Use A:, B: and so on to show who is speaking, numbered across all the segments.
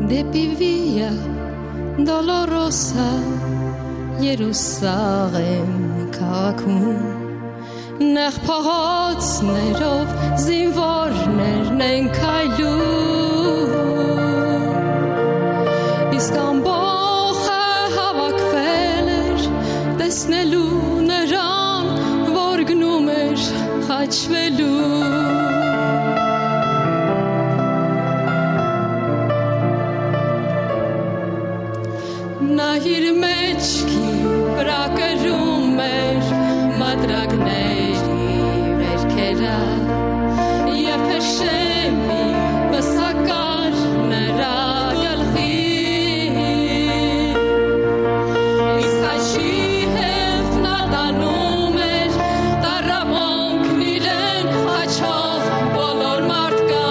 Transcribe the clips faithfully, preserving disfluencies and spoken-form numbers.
A: Դեպի Վիա Դոլորոսա Երուսաղեմ քաղաքում Նեղ փողոցներով զինվորներն են քայլում Իսկ ամբողը հավաքվել էր տեսնելու նրան որ գնում էր խաչվելու Նա իր մեջքի վրա կրում էր մադրագների վերքերը և հեշեմի վսակար նրա գլխին Իսկ հաշի հետ նա տանում էր տառապանքն իրեն հաչող բոլոր մարդկան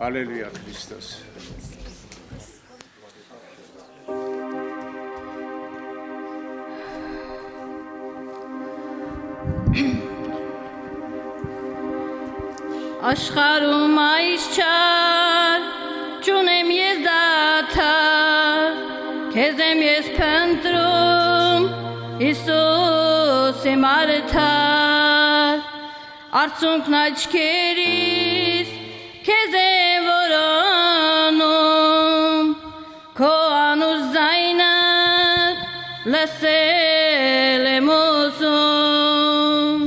B: Hallelujah, Christos.
C: Աշխարհում այս չար ճունեմ ես դաթար քեզ եմ ես փնտրում Հիսուս իմ արդար արցունքն աչքերիս քեզ եմ որոնում քո անուշ ձայնդ լսել եմ ուզում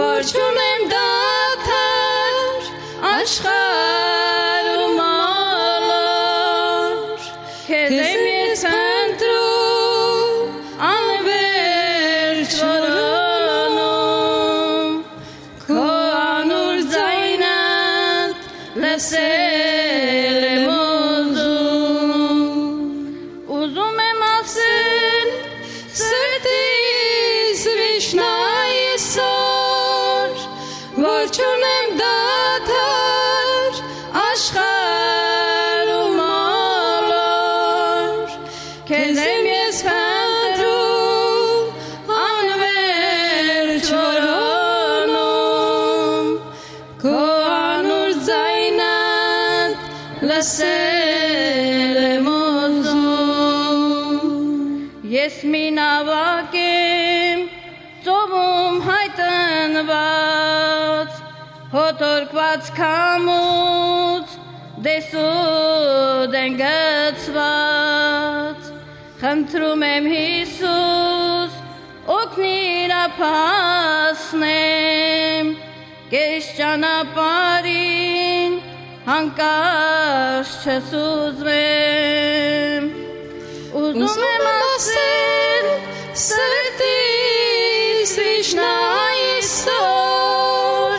A: որ չունեմ դադար աշխարհում ալոր, քեզ եմ ես ընտրում անվերջ որոնում, քո անուր ձայնդ լսել եմ ուզում, ուզում եմ ասել սրտիս վիշնայ այսօր, որ չունեմ դադար աշխարհում ալոր, քեզ եմ ես խնդրում անվերջ որոնում, քո անուր ձայնդ լսել եմ ուզում, ես մի նավակ եմ ծովում հայտնված, հոտորկված քամուց դեսուդ են գցված, խնդրում եմ Հիսուս օգնիր ապահասնեմ, կես ճանապարհին հանկարծ չսուզվեմ, ուզում եմ ասել սրտիս վիշնայ այսօր,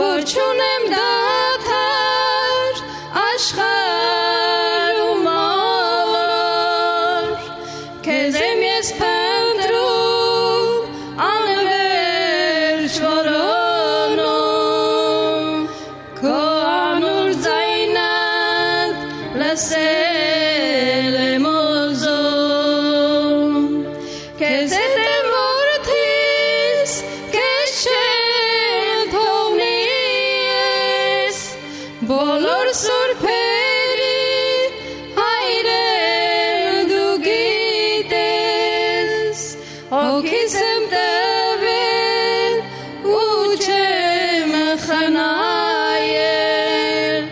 A: որ չունեմ դադար աշխարհում ալոր, քեզ եմ ես փնտրում անվերջ որոնում, քո անուր ձայնդ լսել եմ ուզում, քեզ հետ եմ որդիս, քեզ չեմ թողնի ես, բոլոր սուրբերի հայրեն դու գիտես, հոգիս եմ տվել ու չեմ խնայել,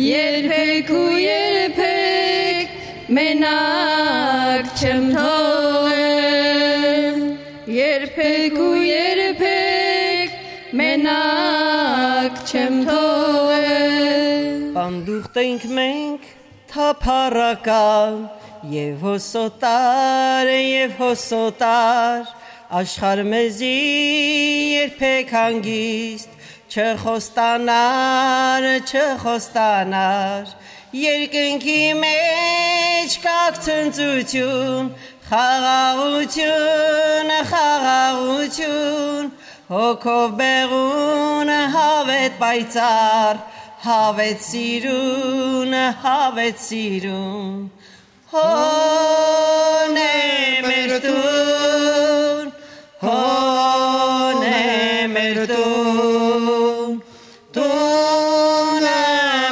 A: երբեք ու երբեք մենակ չեմ թողել, երբեք ու երբեք մենակ չեմ թողել,
D: Պանդուխտ ենք մենք թափառական եւ հոսոտար եւ հոսոտար, աշխարհ մեզի երբեք հանգիստ չխոստանար, չխոստանար, երկնքի մեջ կաք ցնծություն, խաղաղություն, խաղաղություն, հոգով բեղուն հավետ պայծառ, հավետ սիրուն, հավետ սիրուն, հոն է մեր տուն, հոն է մեր տուն, տունը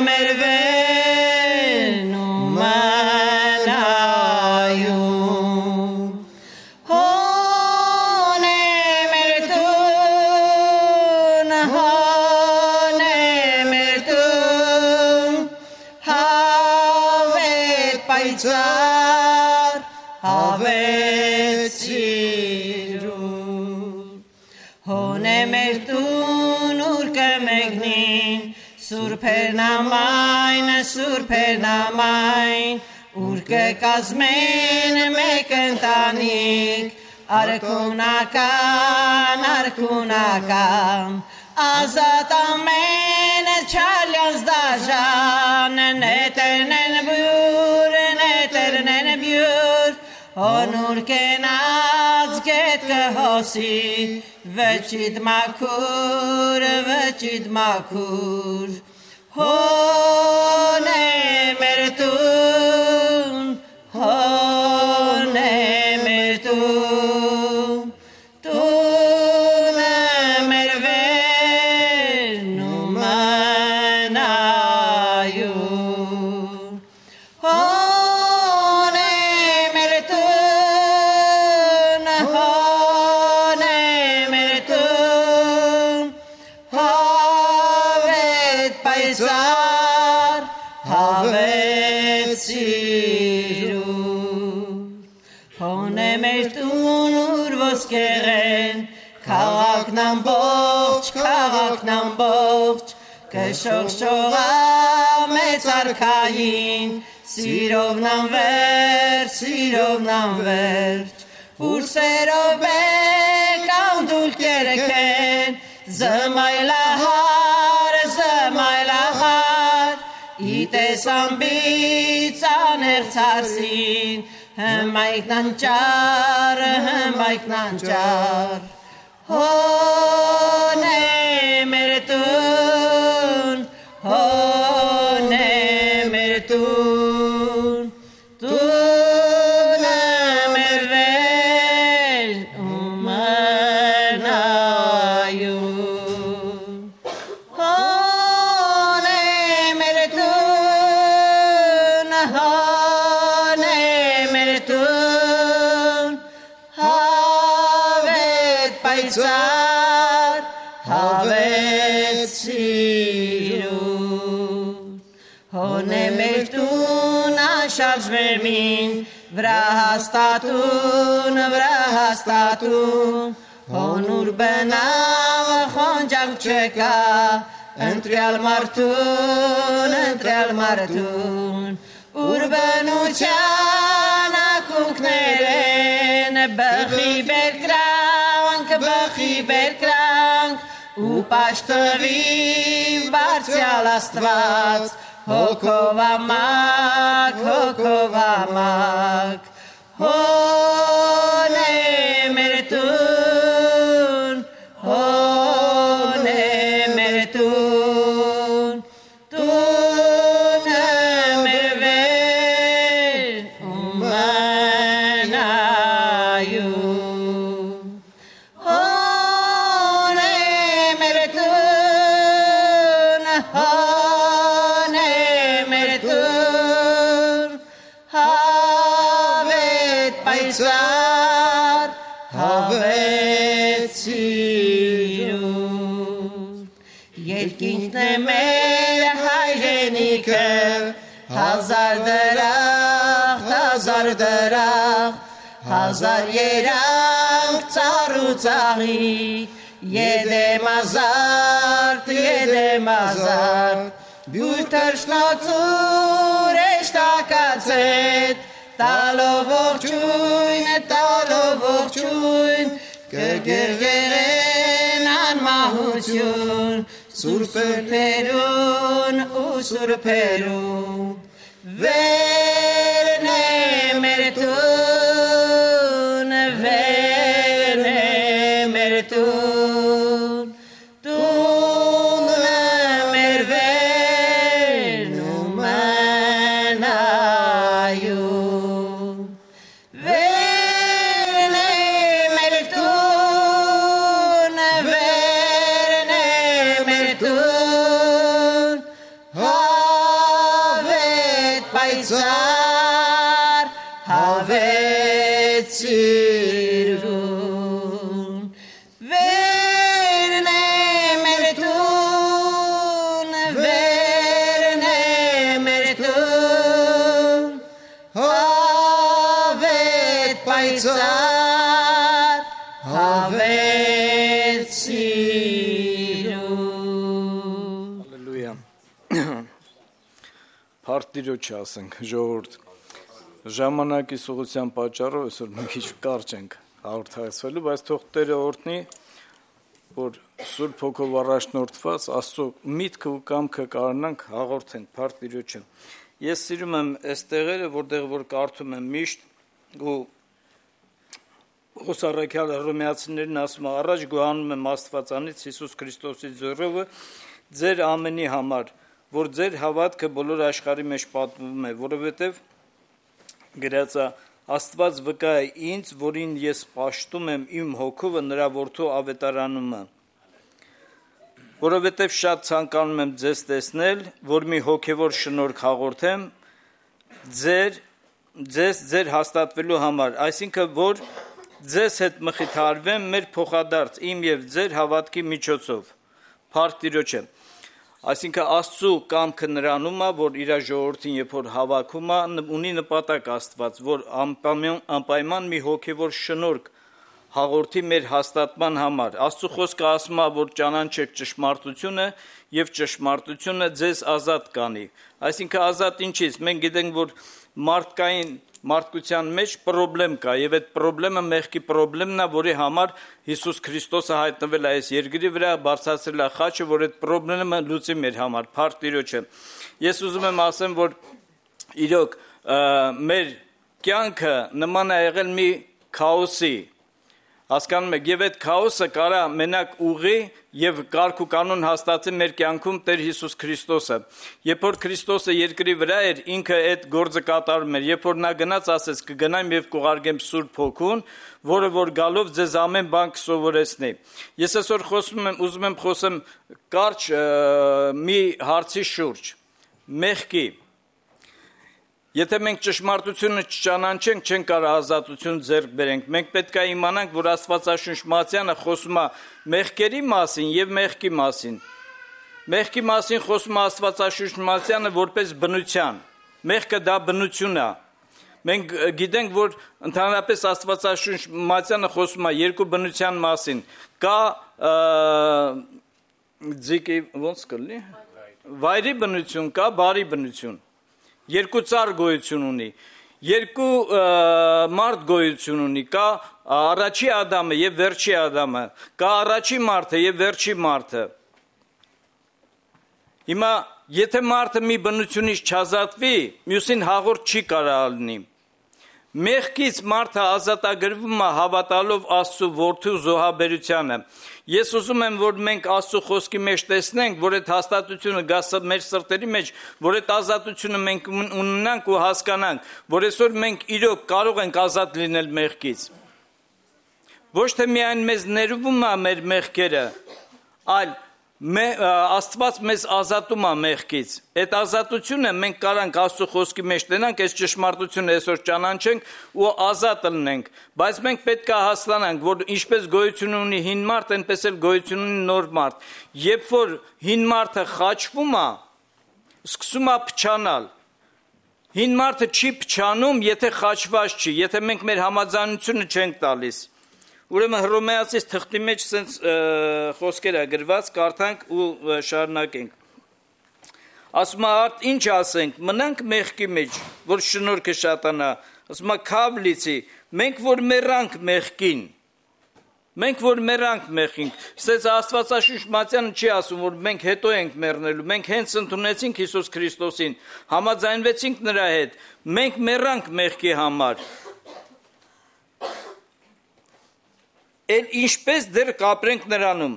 D: մեր վենում անայում, հոն է մեր տուն, հոն է մեր տուն, հավետ պայծառ, հավետ սիրուն, հոն է մեր տուն, ուր կմեկնին, սուրբերն ամայն, սուրբերն ամայն, ուր կկազմեն մեկ ընտանիք, արքունական, արքունական, ազատ ամեն չալյանց դաժան, նետերն են բյուր, նետերն են բյուր, Onur kenaz get gehosi, vechid makur, vechid makur. Hone mertun, hone mertun, tune mervenu manayun. Hone mertun, hone mertun, havet paisar, havet sirur. Hone mertun urvos keren, kalak nam bo ամբողջ քաղաքն ամբողջ կշողշողա մեծ արքային սիրով նամվեր սիրով նամվեր ուրսերով եք անդուլ կերքեն զմայլահար զմայլահար իտես ամբից աներցարսին հմայքնանճար հմայքնանճար հոնե մեր տուն հոնե մեր տուն տունը մեր վել ումանայուն հոնե մեր տուն հոնե մեր տուն հավետ պայծար հավետ սիրուն հոնե մեր տուն անշարժ վերմին վրա հաստատուն վրա հաստատուն հոնուր բնավ խոնջակ չկա ընտրյալ մարդուն ընտրյալ մարդուն ուր բնության ակունքներ են բխի բերկրանք բխի բերկրանք ու պաշտվի բարձյալ աստված հոգով ամակ հոգով ամակ հոնե մեր տուն հոնե մեր տուն տունը մեր վել ումանայուն հոնե մեր տուն հոնե մեր տուն հավետ պայծար հավետ սիրուն երկինքն է մեր հայրենիքը հազար դրախտ հազար դրախտ հազար երանգ ծառ ու ծաղիկ Jedem azart, jedem azart Bjur tërshnatur e shtakacet Talo vorqujn, talo vorqujn Kërgërgëren an mahuqjun Surperun, u surperun Verne mertun, verne mertun Tun merven umanayun Verne mertun, verne mertun Havet payzar, havet sirvun Verne mertun, verne mertun Havet payzar, havet sirvun
B: Հալելույա։ Փարտիրոջ ասենք, ժողովուրդ։ Ժամանակի սուղության պատճառով այսօր մի քիչ կարճ ենք հաղորդակցվելու, բայց թող Տերը օրհնի, որ Սուրբ Հոգով առաջնորդված Աստծո միտքը ու կամքը կարողանանք հաղորդենք Փարտիրոջը։ Ես սիրում եմ այս տեղերը, որտեղ որ կարդում եմ միշտ ու Ոսարակյալը Հռոմեացիներին ասում է, առաջ գոհանում եմ Աստվածանից Հիսուս Քրիստոսի ձեռովը ձեր ամենի համար, որ ձեր հավատքը բոլոր աշխարհի մեջ պատմվում է, որովհետև գրած է Աստված վկա է ինձ, որին ես պաշտում եմ իմ հոգովը նրա որդու ավետարանումը, որովհետև շատ ցանկանում եմ ձեզ տեսնել, որ մի հոգևոր շնորհք հաղորդեմ ձեր ձեզ ձեր հաստատվելու համար, այսինքն որ ձեզ հետ մխիթարվեմ մեր փոխադարձ իմ եւ ձեր հավատքի միջոցով, Փառք Տիրոջը, այսինքն Աստծո կամքը նրանում է, որ իր ժողովրդին երբ որ հավաքում է, ունի նպատակ Աստված, որ անպայման մի հոգևոր շնորհք հաղորդի մեր հաստատման համար։ Աստծո խոսքը ասում է, որ ճանաչեք ճշմարտությունը եւ ճշմարտությունը ձեզ ազատ կանի։ Այսինքն ազատ ինչից։ Մենք գիտենք, որ մարդկային մարդկության մեջ խնդրեմ կա եւ այդ խնդրեմը մեղքի խնդրեմն է, որի համար Հիսուս Քրիստոսը հայտնվել է այս երկրի վրա, բարձրացրել է խաչը, որ այդ խնդրեմը լուծի մեր համար, փառք Տիրոջը։ Ես ուզում եմ ասեմ, որ իրոք մեր կյանքը նման է եղել մի քաոսի, հասկանում եք, եւ այդ քաոսը կարա մենակ ուղի եւ կարգ ու կանոն հաստատի մեր կյանքում Տեր Հիսուս Քրիստոսը։ Երբ որ Քրիստոսը երկրի վրա էր, ինքը այդ գործը կատարում էր, երբ որ նա գնաց, ասեց կգնամ եւ կուղարկեմ Սուրբ Հոգուն, որը որ գալով ձեզ ամեն բան կսովորեցնի։ Ես այսօր խոսում եմ, ուզում եմ խոսեմ կարճ մի հարցի շուրջ՝ մեղքի։ Եթե մենք ճշմարտությունը չճանաչենք, չենք կարող ազատություն ձեռք բերենք։ Մենք պետք է իմանանք, որ Աստվածաշունչ Մատթեանը խոսում է մեղքերի մասին եւ մեղքի մասին։ Մեղքի մասին խոսում է Աստվածաշունչ Մատթեանը որպես բնության։ Մեղքը դա բնություն է։ Մենք գիտենք, որ ընդհանրապես Աստվածաշունչ Մատթեանը խոսում է երկու բնության մասին։ Կա ձիկի ոնց կլինի։ Վայրի բնություն կա, բարի բնություն։ Երկու ծառ գոյություն ունի, երկու մարդ գոյություն ունի, կա առաջի Ադամը եւ վերջի Ադամը, կա առաջի մարդը եւ վերջի մարդը։ Հիմա եթե մարդը մի բնությունից չազատվի, մյուսին հաղորդ չի կարող լինի։ Մեղքից մարդը ազատագրվում է հավատալով Աստծո որդու զոհաբերությանը։ Ես ուզում եմ, որ մենք Աստծո խոսքի մեջ տեսնենք, որ այդ հաստատությունը գա մեր սրտերի մեջ, որ այդ ազատությունը մենք ունենանք ու հասկանանք, որ այսօր մենք իրոք կարող ենք ազատ լինել մեղքից։ Ոչ թե միայն մեզ ներվում է մեր մեղքերը, այլ Աստված մեզ ազատում է մեղքից։ Այդ ազատությունը մենք կարանք Աստծո խոսքի մեջ տենանք, այս ճշմարտությունը այսօր ճանաչենք ու ազատ լինենք, բայց մենք պետք է հասկանանք, որ ինչպես գոյություն ունի հին մարդ, այնպես էլ գոյություն ունի նոր մարդ։ Երբ որ հին մարդը խաչվում է, սկսում է փչանալ։ Հին մարդը չի փչանում, եթե խաչված չի, եթե մենք մեր համաձայնությունը չենք տալիս։ Ուրեմն Հռոմեացիս թղթի մեջ սենց խոսքեր է գրված, կարդանք ու շարունակենք։ Ասում է, արդ ինչ ասենք, մնանք մեղքի մեջ, որ շնորհքը շատանա։ Ասում է, քավ լիցի, մենք որ մեռանք մեղքին։ Մենք որ մեռանք մեղքին։ Սենց Աստվածաշունչ Մատթեանը չի ասում, որ մենք հետո ենք մեռնելու, մենք հենց ընդունեցինք Հիսուս Քրիստոսին, համաձայնվեցինք նրա հետ, մենք մեռանք մեղքի համար։ Էլ ինչպես դեռ կապրենք նրանում։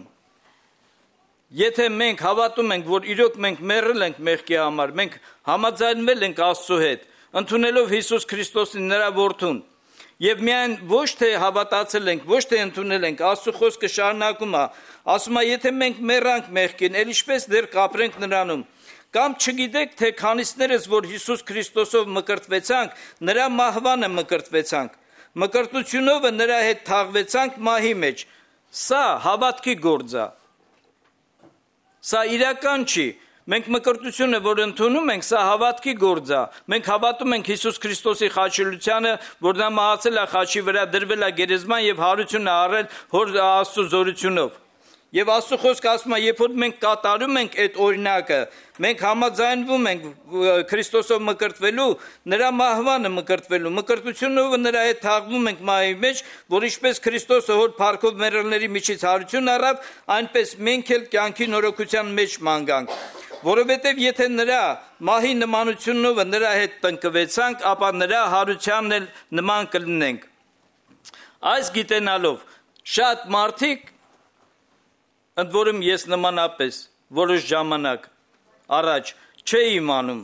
B: Եթե մենք հավատում ենք, որ իրոք մենք մեռել ենք մեղքի համար, մենք համաձայնվել ենք Աստծո հետ, ընդունելով Հիսուս Քրիստոսին նրա որդուն, եւ միայն ոչ թե հավատացել ենք, ոչ թե ընդունել ենք, Աստծո խոսքը շարունակում է, ասում է, եթե մենք մեռանք մեղքին, էլ ինչպես դեռ կապրենք նրանում։ Կամ չգիտեք, թե քանիսներս, որ Հիսուս Քրիստոսով մկրտվեցանք, նրա մահվանը մկրտվեցանք։ Մկրտությունով նրա հետ թաղվեցանք մահի մեջ։ Սա հավատքի գործ է։ Սա իրական չի։ Մենք մկրտությունը, որ ընդունում ենք, սա հավատքի գործ է։ Մենք հավատում ենք Հիսուս Քրիստոսի խաչելությանը, որ նա մահացել է խաչի վրա, դրվել է գերեզման եւ հարություն է առել հոր Աստծո զորությունով։ Եվ Աստծո խոսքը ասում է, երբ որ մենք կատարում ենք այդ օրինակը, մենք համաձայնվում ենք Քրիստոսով մկրտվելու, նրա մահվանը մկրտվելու, մկրտությունով նրա հետ թաղվում ենք մահի մեջ, որ ինչպես Քրիստոսը հոր փառքով մեռելների միջից հարություն առավ, այնպես մենք էլ կյանքի նորոգության մեջ մանգանք։ Որովհետև եթե նրա մահի նմանությունով նրա հետ տնկվեցանք, ապա նրա հարությանն էլ նման կլինենք։ Այս գիտենալով շատ մարդիկ, ընդ որում ես նմանապես որոշ ժամանակ առաջ չէի իմանում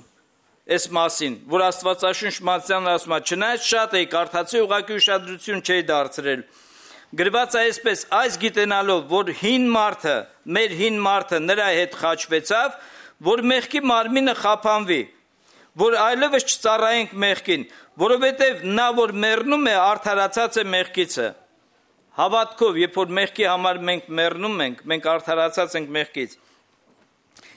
B: այս մասին, որ Աստվածաշունչ Մատթեանը ասում է, չնայած շատ էի կարդացի, ուղղակի ուշադրություն չէի դարձրել։ Գրված է այսպես, այս գիտենալով, որ հին մարդը, մեր հին մարդը նրա հետ խաչվեցավ, որ մեղքի մարմինը խափանվի, որ այլևս չծառայենք մեղքին, որովհետև նա, որ մեռնում է, արդարացած է մեղքիցը։ Հավատքով, երբ որ մեղքի համար մենք մեռնում ենք, մենք արդարացած ենք մեղքից։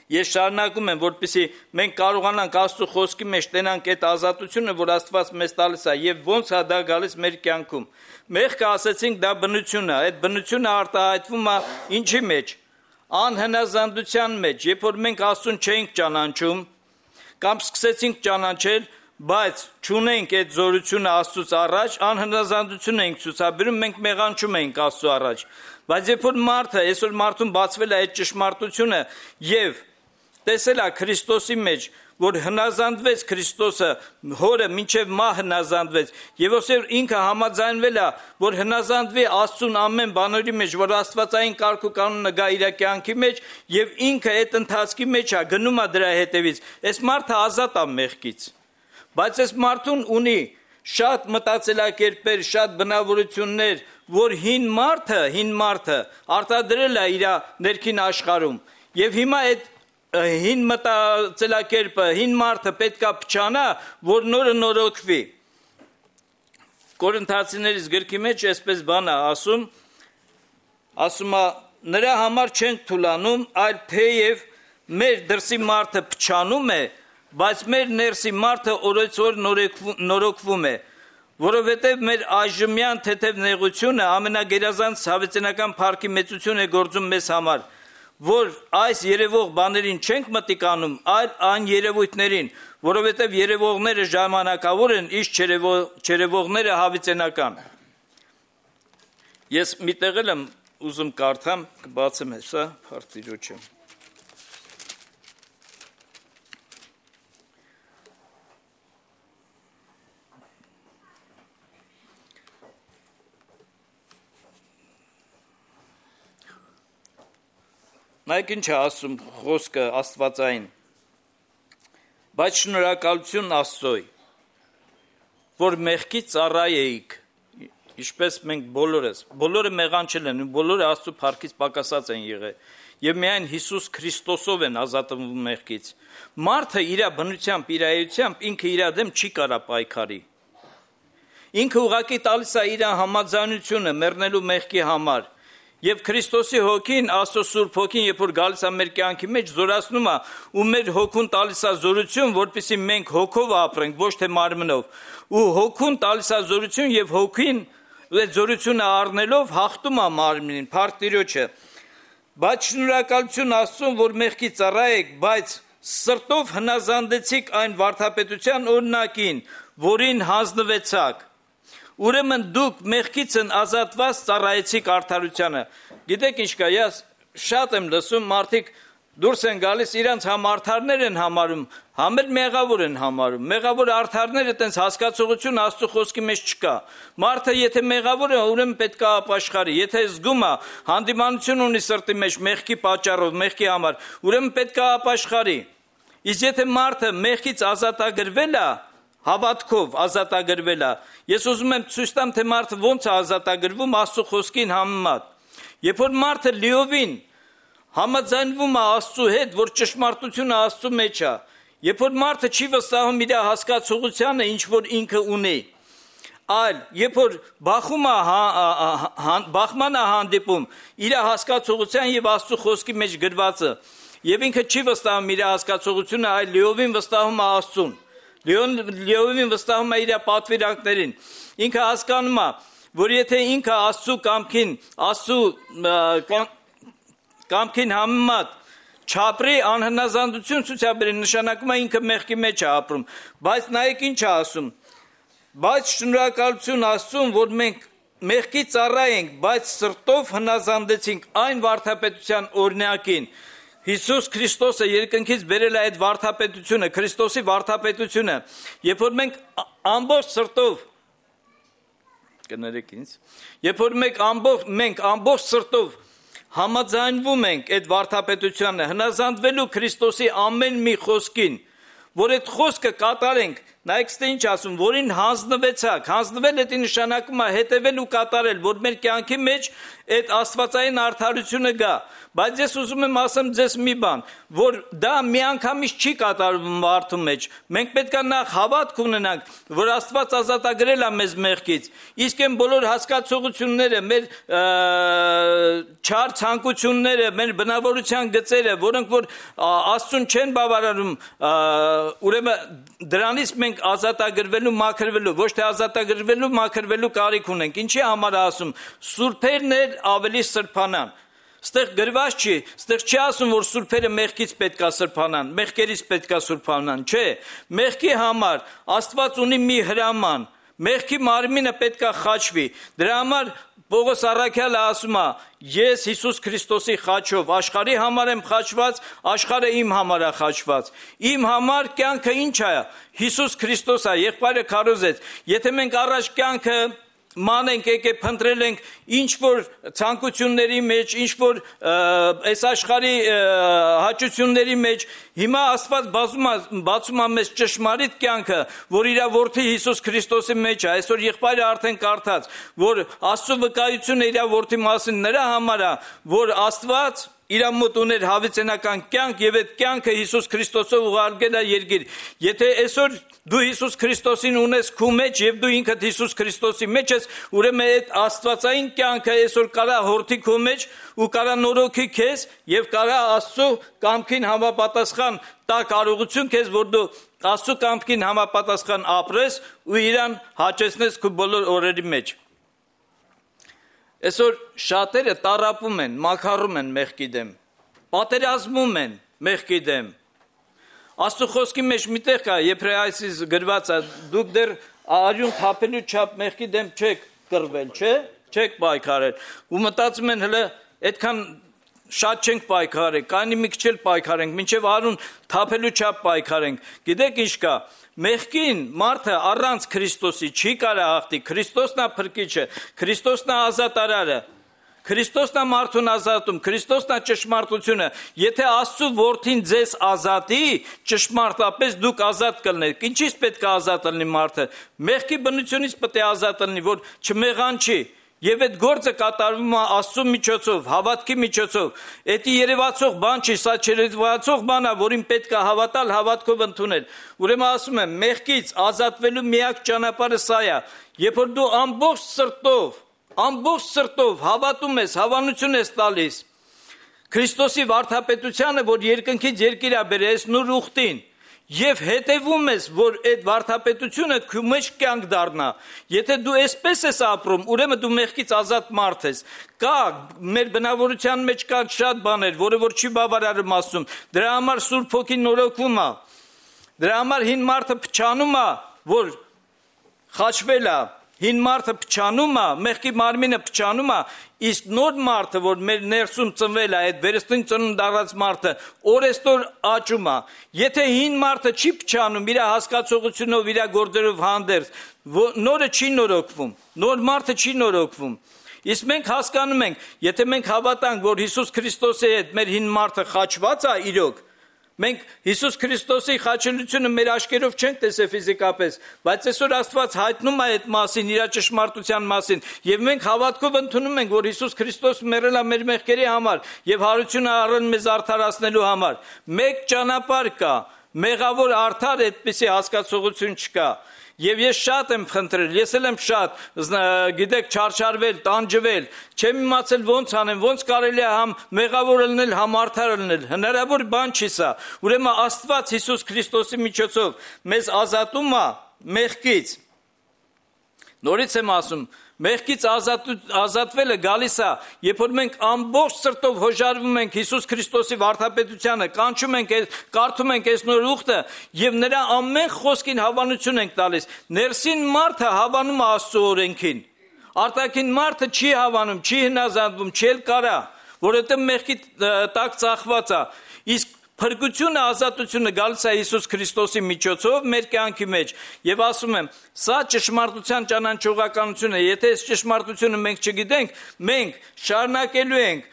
B: Ես շարունակում եմ, որպեսզի մենք կարողանանք Աստծո խոսքի մեջ տենանք այդ ազատությունը, որ Աստված մեզ տալիս է, եւ ոնց է դա գալիս մեր կյանքում։ Մեղքը ասեցինք դա բնություն է, այդ բնությունը արտահայտվում է ինչի մեջ։ Անհնազանդության մեջ, երբ որ մենք Աստծուն չէինք ճանաչում, կամ սկսեցինք ճանաչել, բայց չունենք այդ զորությունը Աստծուց առաջ, անհնազանդություն ենք ցուցաբերում, մենք մեղանչում ենք Աստծո առաջ։ Բայց երբ որ մարդը, այսօր մարդուն բացվել է այդ ճշմարտությունը եւ տեսել է Քրիստոսի մեջ, որ հնազանդվեց Քրիստոսը, հորը մինչև մահ հնազանդվեց, եւ ոսեր ինքը համաձայնվել է, որ հնազանդվի Աստծուն ամեն բաների մեջ, որ Աստվածային կարգ ու կանոնը գա իր կյանքի մեջ, եւ ինքը այդ ընթացքի մեջ է գնում է դրա հետևից։ Այս մարդը ազատ է մեղքից։ Բայց այս մարդուն ունի շատ մտածելակերպեր, շատ բնավորություններ, որ հին մարդը, հին մարդը արտադրել է իր ներքին աշխարհում։ Եվ հիմա այդ հին մտածելակերպը, հին մարդը պետքա փչանա, որ նորը նորոգվի։ Կորինթացիներից գրքի մեջ այսպես բան է ասում, ասում է նրա համար չենք թուլանում, այլ թեև մեր դրսի մարդը փչանում է, բայց մեր ներսի մարդը օրեցօր նորոգվում է, որովհետև մեր այժմյան թեթև նեղությունը ամենագերազանց հավիտենական փառքի մեծություն է գործում մեզ համար, որ այս երևող բաներին չենք մտիկանում, այլ այն երևույթներին, որովհետև երևողները ժամանակավոր են, իսկ չերևողները հավիտենական։ Ես մի տեղ եմ ուզում կարդամ, կբացեմ հեսա, փառք Նայեք ինչ է ասում խոսքը Աստվածային, բայց շնորհակալություն Աստծոյ, որ մեղքի ծառա էիք, ինչպես մենք բոլորս, բոլորը մեղանչել են, բոլորը Աստծո փառքից պակասած են եղել, եւ միայն Հիսուս Քրիստոսով են ազատվում մեղքից։ Մարդը իր բնությամբ, իր էությամբ ինքը իր դեմ չի կարա պայքարի։ Ինքը ուղղակի տալիս է իր համաձայնությունը մեռնելու մեղքի համար։ Եվ Քրիստոսի հոգին, Աստծո Սուրբ հոգին, երբ որ գալիս է մեր կյանքի մեջ, զորացնում է ու մեր հոգուն տալիս է զորություն, որպեսզի մենք հոգով ապրենք, ոչ թե մարմնով։ Ու հոգուն տալիս է զորություն եւ հոգին այդ զորությունը առնելով հաղթում է մարմնին, փառք Տիրոջը։ Բայց շնորհակալություն Աստծուն, որ մեղքի ծառա եք, բայց սրտով հնազանդեցիք այն վարդապետության օրինակին, որին հանձնվեցաք։ Ուրեմն դուք մեղքից են ազատված ծառայեցիք արդարությանը։ Գիտեք ինչ կա, ես շատ եմ լսում, մարդիկ դուրս են գալիս, իրանց համ արդարներ են համարում, համ էլ մեղավոր են համարում։ Մեղավոր արդարները տենց հասկացողություն Աստծո խոսքի մեջ չկա։ Մարդը եթե մեղավոր է, ուրեմն պետք է ապաշխարի։ Եթե զգում է, հանդիմանություն ունի սրտի մեջ մեղքի պատճառով, մեղքի համար, ուրեմն պետք է ապաշխարի։ Իսկ եթե մարդը մեղքից ազատագրվել է, հավատքով ազատագրվել է, ես ուզում եմ ցույց տամ, թե մարդը ոնց է ազատագրվում Աստծո խոսքին համեմատ։ Երբ որ մարդը լիովին համաձայնվում է Աստծո հետ, որ ճշմարտությունը Աստծո մեջ է, երբ որ մարդը չի վստահում իր հասկացողությանը, ինչ որ ինքը ունի, այլ երբ որ բախում է բախման է հանդիպում իր հասկացողության եւ Աստծո խոսքի մեջ գրվածը, եւ ինքը չի վստահում իր հասկացողությունը, այլ լիովին վստահում է Աստծուն։ Լիովին վստահում է իր պատվիրանքներին։ Ինքը հասկանում է, որ եթե ինքը Աստծո կամքին, Աստծո կամքին համեմատ չապրի, անհնազանդություն ցուցաբերի, նշանակում է ինքը մեղքի մեջ է ապրում։ Բայց նայեք ինչ է ասում։ Բայց շնորհակալություն Աստծուն, որ մենք մեղքի ծառա ենք, բայց սրտով հնազանդեցինք այն վարդապետության օրինակին։ Հիսուս Քրիստոսը երկնքից բերել է այդ վարդապետությունը, Քրիստոսի վարդապետությունը, երբ որ մենք ամբողջ սրտով, կներեք ինձ, երբ որ մենք ամբողջ, մենք ամբողջ սրտով համաձայնվում ենք այդ վարդապետությանը, հնազանդվելու Քրիստոսի ամեն մի խոսքին, որ այդ խոսքը կատարենք, նայեք ստե ինչ ասում, որին հանձնվեցաք, հանձնվել էդի նշանակում է հետևել ու կատարել, որ մեր կյանքի մեջ այդ աստվածային արդարությունը գա, բայց ես ուզում եմ ասեմ ձեզ մի բան, որ դա միանգամից չի կատարվում մարդու մեջ, մենք պետք է նախ հավատք ունենանք, որ Աստված ազատագրել է մեզ մեղքից, իսկ այն բոլոր հասկացողությունները, մեր չար ցանկությունները, մեր բնավորության գծերը, որոնք որ Աստծուն չեն բավարարում, ուրեմն դրանից մենք ազատագրվելու, մաքրվելու, ոչ թե ազատագրվելու, մաքրվելու կարիք ունենք, ինչի համար ասում, սուրբերն էլ ավելի սրբանան, ստեղ գրված չի, ստեղ չի ասում, որ սուրբերը մեղքից պետք է սրբանան, մեղքերից պետք է սրբանան, չէ, մեղքի համար Աստված ունի մի հրաման, մեղքի մարմինը պետք է խաչվի, դրա համար Պողոս առաքյալը ասում է, ես Հիսուս Քրիստոսի խաչով աշխարհի համար եմ խաչված, աշխարհը իմ համար է խաչված, իմ համար կյանքը ինչ է, Հիսուս Քրիստոս է, եղբայրը քարոզեց, եթե մենք առաջ կյանքը մանենք եկե փնտրել ենք ինչ որ ցանկությունների մեջ, ինչ որ այս աշխարհի հաճությունների մեջ, հիմա Աստված բացում է բացում է մեզ ճշմարիտ կյանքը, որ իր որդի Հիսուս Քրիստոսի մեջ է, այսօր եղբայրը արդեն կարդաց, որ Աստծո վկայությունը իր որդի մասին նրա համար է, որ Աստված իր մոտ ուներ հավիտենական կյանք եւ այդ կյանքը Հիսուս Քրիստոսով ուղարկել է երկիր։ Եթե այսօր դու Հիսուս Քրիստոսին ունես քո մեջ եւ դու ինքդ Հիսուս Քրիստոսի մեջ ես, ուրեմն այդ աստվածային կյանքը այսօր կարա հորթի քո մեջ ու կարա նորոգի քեզ եւ կարա Աստծո կամքին համապատասխան տա կարողություն քեզ, որ դու Աստծո կամքին համապատասխան ապրես ու իրան հաճեցնես քո բոլոր օրերի մեջ։ Այսօր շատերը տառապում են, մաքարում են մեղքի դեմ, պատերազմում են մեղքի դեմ։ Աստծո խոսքի մեջ միտեղ կա, Եբրայեցիս գրված է, դուք դեռ արյուն թափելու չափ մեղքի դեմ չեք կռվել, չէ՞, չեք պայքարել։ Ու մտածում են հələ այդքան շատ չենք պայքարել, կանի մի քիչ էլ պայքարենք, մինչև արյուն թափելու չափ պայքարենք։ Գիտեք ինչ կա։ Մեղքին մարդը առանց Քրիստոսի չի կարա հաղթի, Քրիստոսն է փրկիչը, Քրիստոսն է ազատարարը, Քրիստոսն է մարդուն ազատում, Քրիստոսն է ճշմարտությունը, եթե Աստծո որդին ձեզ ազատի, ճշմարտապես դուք ազատ կլինեք, ինչից պետք է ազատ լինի մարդը, մեղքի բնությունից պետք է ազատ լինի, որ չմեղանչի, եւ այդ գործը կատարվում է Աստծո միջոցով, հավատքի միջոցով, դա երևացող բան չի, սա չերևացող բան է, որին պետք է հավատալ, հավատքով ընդունել։ Ուրեմն ասում եմ, մեղքից ազատվելու միակ ճանապարհը սա է, երբ որ դու ամբողջ սրտով, ամբողջ սրտով հավատում ես, հավանություն ես տալիս Քրիստոսի վարդապետությանը, որ երկնքից երկիր է բերել, այս նոր ուխտին, եւ հետևում ես, որ այդ վարդապետությունը քո մեջ կյանք դառնա։ Եթե դու այսպես ես ապրում, ուրեմն դու մեղքից ազատ մարդ ես։ Կա մեր բնավորության մեջ կան շատ բաներ, որը որ չի բավարարում Աստծուն։ Դրա համար Սուրբ Հոգին նորոգում է։ Դրա համար հին մարդը փչանում է, որ խաչվել է, հին մարդը փչանում է, մեղքի մարմինը փչանում է, իսկ նոր մարդը, որ մեր ներսում ծնվել է, այդ վերստին ծնունդ առած մարդը, օրեստոր աճում է։ Եթե հին մարդը չի փչանում, իր հասկացողությունով, իր գործերով հանդերձ, նորը չի նորոգվում, նոր մարդը չի նորոգվում։ Իսկ մենք հասկանում ենք, եթե մենք հավատանք, որ Հիսուս Քրիստոսի հետ մեր հին մարդը խաչված է իրոք, մենք Հիսուս Քրիստոսի խաչելությունը մեր աչքերով չենք տեսել ֆիզիկապես, բայց այսօր Աստված հայտնում է այդ մասին, իր ճշմարտության մասին, եւ մենք հավատքով ընդունում ենք, որ Հիսուս Քրիստոսը մեռել է մեր մեղքերի համար եւ հարություն առել մեզ արդարացնելու համար։ Մեկ ճանապարհ կա, մեղավոր արդար այդպիսի հասկացողություն չկա։ Եվ ես շատ եմ խնդրել, ես էլ եմ շատ, գիտեք, չարչարվել, տանջվել, չեմ իմացել ոնց անեմ, ոնց կարելի է համ մեղավոր լինել, համ արդար լինել, հնարավոր բան չի սա։ Ուրեմն Աստված Հիսուս Քրիստոսի միջոցով մեզ ազատում է մեղքից։ Նորից եմ ասում, մեղքից ազատ, ազատվելը գալիս է, երբ որ մենք ամբողջ սրտով հոժարվում ենք Հիսուս Քրիստոսի վարդապետությանը, կանչում ենք, կարդում ենք այս նոր ուխտը եւ նրա ամեն խոսքին հավանություն ենք տալիս։ Ներսին մարդը հավանում է Աստծո օրենքին։ Արտաքին մարդը չի հավանում, չի հնազանդվում, չի էլ կարա, որովհետեւ մեղքի տակ ծախված է։ Իսկ փրկությունը, ազատությունը գալիս է Հիսուս Քրիստոսի միջոցով մեր կյանքի մեջ եւ ասում եմ, սա ճշմարտության ճանաչողականությունը, եթե այս ճշմարտությունը մենք չգիտենք, մենք շարունակելու ենք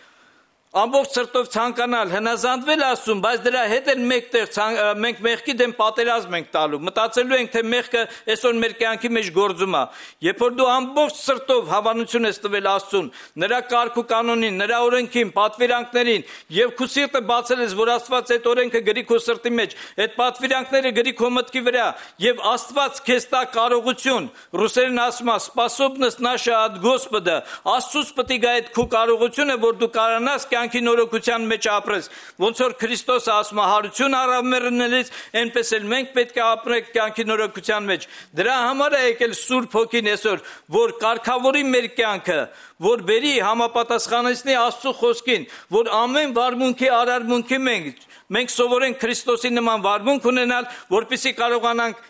B: ամբողջ սրտով ցանկանալ հնազանդվել Աստծուն, բայց դրա հետ էլ մեկտեղ մենք մեղքի դեմ պատերազմ ենք տալու, մտածելու ենք, թե մեղքը այսօր մեր կյանքի մեջ գործում է։ Երբ որ դու ամբողջ սրտով հավանություն ես տվել Աստծուն, նրա կարգ ու կանոնին, նրա օրենքին, պատվիրանքներին, եւ քո սիրտը բացել ես, որ Աստված այդ օրենքը գրի քո սրտի մեջ, այդ պատվիրանքները գրի քո մտքի վրա, եւ Աստված քեզ տա կարողություն, ռուսերեն ասում է, способность наша от Господа, Աստծուց պետք է այդ քո կարողությունը, որ դու կարողանաս կյանքի նորոգության մեջ ապրես, ոնց որ Քրիստոսը ասում է հարություն առավ մեռնելից, այնպես էլ մենք պետք է ապրենք կյանքի նորոգության մեջ։ Դրա համար է եկել Սուրբ Հոգին այսօր, որ կարգավորի մեր կյանքը, որ բերի համապատասխանեցնի Աստծո խոսքին, որ ամեն վարմունքի արարմունքի մենք մենք սովորենք Քրիստոսի նման վարմունք ունենալ, որպեսզի կարողանանք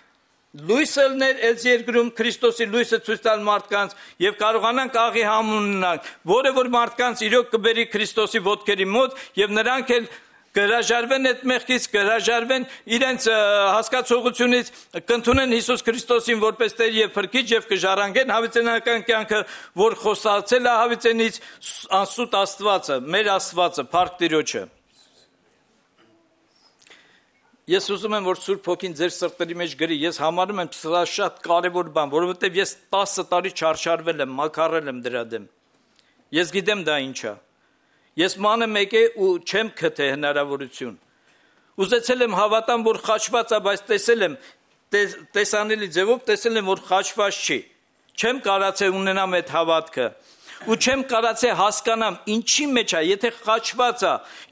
B: լույսը լներ այս երկրում Քրիստոսի լույսը ցույց տալ մարդկանց եւ կարողանանք աղի համ ունենալ, որը որ մարդկանց իրոք կբերի Քրիստոսի ոտքերի մոտ եւ նրանք էլ կհրաժարվեն այդ մեղքից, կհրաժարվեն իրենց հասկացողությունից, կընդունեն Հիսուս Քրիստոսին որպես Տեր եւ Փրկիչ եւ կժառանգեն հավիտենական կյանքը, որ խոստացել է հավիտենից անսուտ Աստվածը, մեր Աստվածը, Փառք Տիրոջը։ Ես ուզում եմ, որ Սուրբ Հոգին ձեր սրտերի մեջ գրի, ես համարում եմ սա շատ կարևոր բան, որովհետև ես տասը տարի չարչարվել եմ, մաքարել եմ դրա դեմ։ Ես գիտեմ դա ինչ է։ Ես մանը մեկ է ու չեմ գտե հնարավորություն։ Ուզեցել եմ հավատամ, որ խաչված է, բայց տեսել եմ տեսանելի ձևով, տեսել եմ, որ խաչված չի։ Չեմ կարացել ունենամ այդ հավատքը։ Ու չեմ կարացել հասկանամ ինչի մեջ է, եթե խաչված է,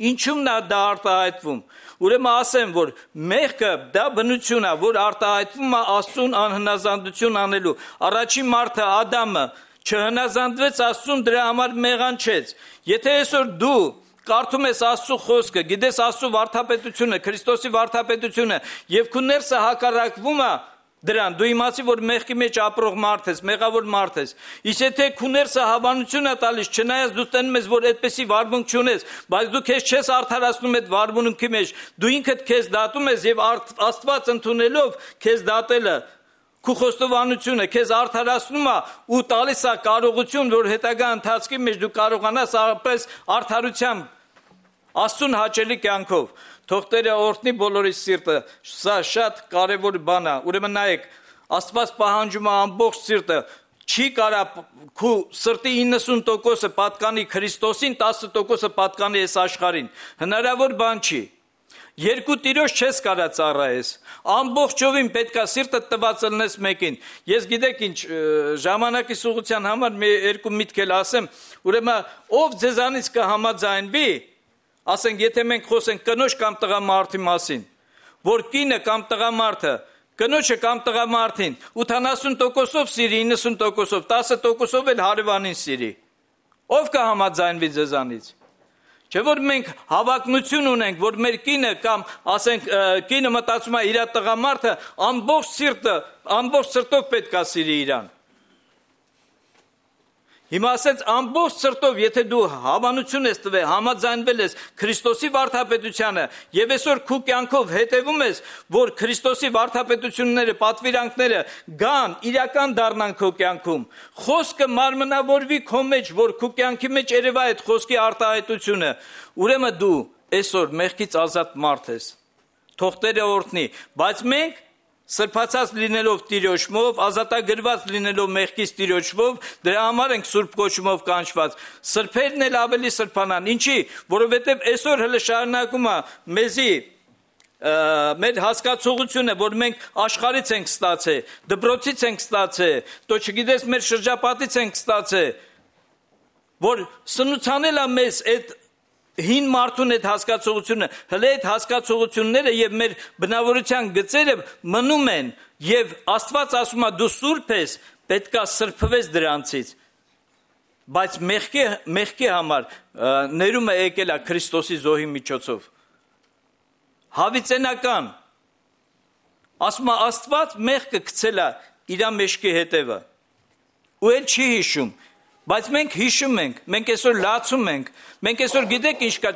B: ինչու՞մն է դա արտահայտվում։ Ուրեմն ասեմ, որ մեղքը դա բնություն է, որ արտահայտվում է Աստծուն անհնազանդություն անելու։ Առաջին մարդը Ադամը չհնազանդվեց Աստծուն, դրա համար մեղանչեց։ Եթե այսօր դու կարդում ես Աստծո խոսքը, գիտես Աստծո վարդապետությունը, Քրիստոսի վարդապետությունը, եւ քո ներսը հակառակվում է դրան, դու իմացի, որ մեղքի մեջ ապրող մարդ ես, մեղավոր մարդ ես։ Իսկ եթե քո ներսը հավանություն է տալիս, չնայած դու տենում ես, որ այդպեսի վարմունք չունես, բայց դու քեզ չես արդարացնում այդ վարմունքի մեջ, դու ինքդ քեզ դատում ես եւ Աստված ընդունելով քեզ դատելը, քո խոստովանությունը քեզ արդարացնում է ու տալիս է կարողություն, որ հետագա ընթացքի մեջ դու կարողանաս ապրես արդարությամբ, Աստծուն հաճելի կյանքով։ Թող Տերը օրհնի բոլորի սիրտը, սա շատ կարևոր բան է։ Ուրեմն նայեք, Աստված պահանջում է ամբողջ սիրտը, չի կարա քո սրտի իննսուն տոկոսը պատկանի Քրիստոսին, տասը տոկոսը պատկանի այս աշխարհին։ Հնարավոր բան չի։ Երկու տիրոջ չես կարա ծառայես։ Ամբողջովին պետքա սիրտը տված լնես մեկին։ Ես գիտեք ինչ, ժամանակի սուղության համար մի երկու միտք էլ ասեմ, ուրեմն ով ձեզանից կհամաձայնվի, ասենք, եթե մենք խոսենք կնոջ կամ տղամարդի մասին, որ կինը կամ տղամարդը, կնոջը կամ տղամարդին ութանասուն տոկոսով սիրի, իննսուն տոկոսով, տասը տոկոսով էլ հարևանին սիրի, ով կհամաձայնվի ձեզանից։ Չէ՞ որ մենք հավակնություն ունենք, որ մեր կինը կամ ասենք կինը մտածում է իր տղամարդը ամբողջ սիրտը, ամբողջ սրտով պետք է սիրի իրան։ Հիմա ասեց ամբողջ սրտով, եթե դու հավանություն ես տվել, համաձայնվել ես Քրիստոսի վարդապետությանը եւ այսօր քո կյանքով հետևում ես, որ Քրիստոսի վարդապետությունները, պատվիրանքները գան, իրական դառնան քո կյանքում, խոսքը մարմնավորվի քո մեջ, որ քո կյանքի մեջ երևա այդ խոսքի արտահայտությունը, ուրեմն դու այսօր մեղքից ազատ մարդ ես։ Թող Տերը օրհնի, բայց մենք սրբացած լինելով Տիրոջով, ազատագրված լինելով մեղքից Տիրոջով, դրա համար ենք Սուրբ կոչումով կանչված։ Սրբերն էլ ավելի սրբանան։ Ինչի՞, որովհետև այսօր հələ շարունակում է մեզի մեր հասկացողությունը, որ մենք աշխարհից ենք ստացել, դպրոցից ենք ստացել, то չգիտես մեր շրջապատից ենք ստացել, որ սնուցանել է մեզ այդ հին մարդուն այդ հասկացողությունը, հələ այդ հասկացողությունները եւ մեր բնավորության գծերը մնում են եւ Աստված ասում է դու սուրբ ես, պետքա սրբվես դրանցից, բայց մեղքի մեղքի համար ներումը եկել է Քրիստոսի զոհի միջոցով։ Հավիտենական ասում է Աստված մեղքը գցել է իր մեջքի հետևը ու էլ չի հիշում։ Բայց մենք հիշում ենք, մենք այսօր լացում ենք, մենք այսօր գիտեք ինչ կա,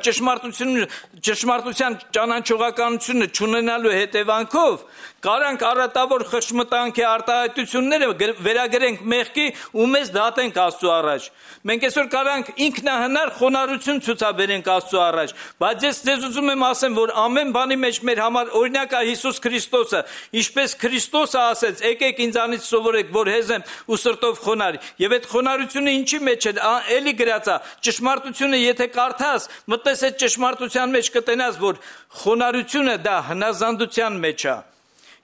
B: ճշմարտության ճանաչողականությունը չունենալու հետևանքով կարանք առատավոր խշմտանքի արտահայտությունները վերագրենք մեղքի ու մեզ դատենք Աստծո առաջ։ Մենք այսօր կարանք ինքնահնար խոնարհություն ցուցաբերենք Աստծո առաջ, բայց ես ձեզ ուզում եմ ասեմ, որ ամեն բանի մեջ մեր համար օրինակ է Հիսուս Քրիստոսը, ինչպես Քրիստոսը ասեց, եկեք ինձանից սովորեք, որ հեզ եմ ու սրտով խոնարհ։ Եվ այդ խոնարհությունը ինչի մեջ է, էլի գրած է, ճշմարտությունը եթե կարդաս, մտես այդ ճշմարտության մեջ կտենաս, որ խոնարհությունը դա հնազանդության մեջ է։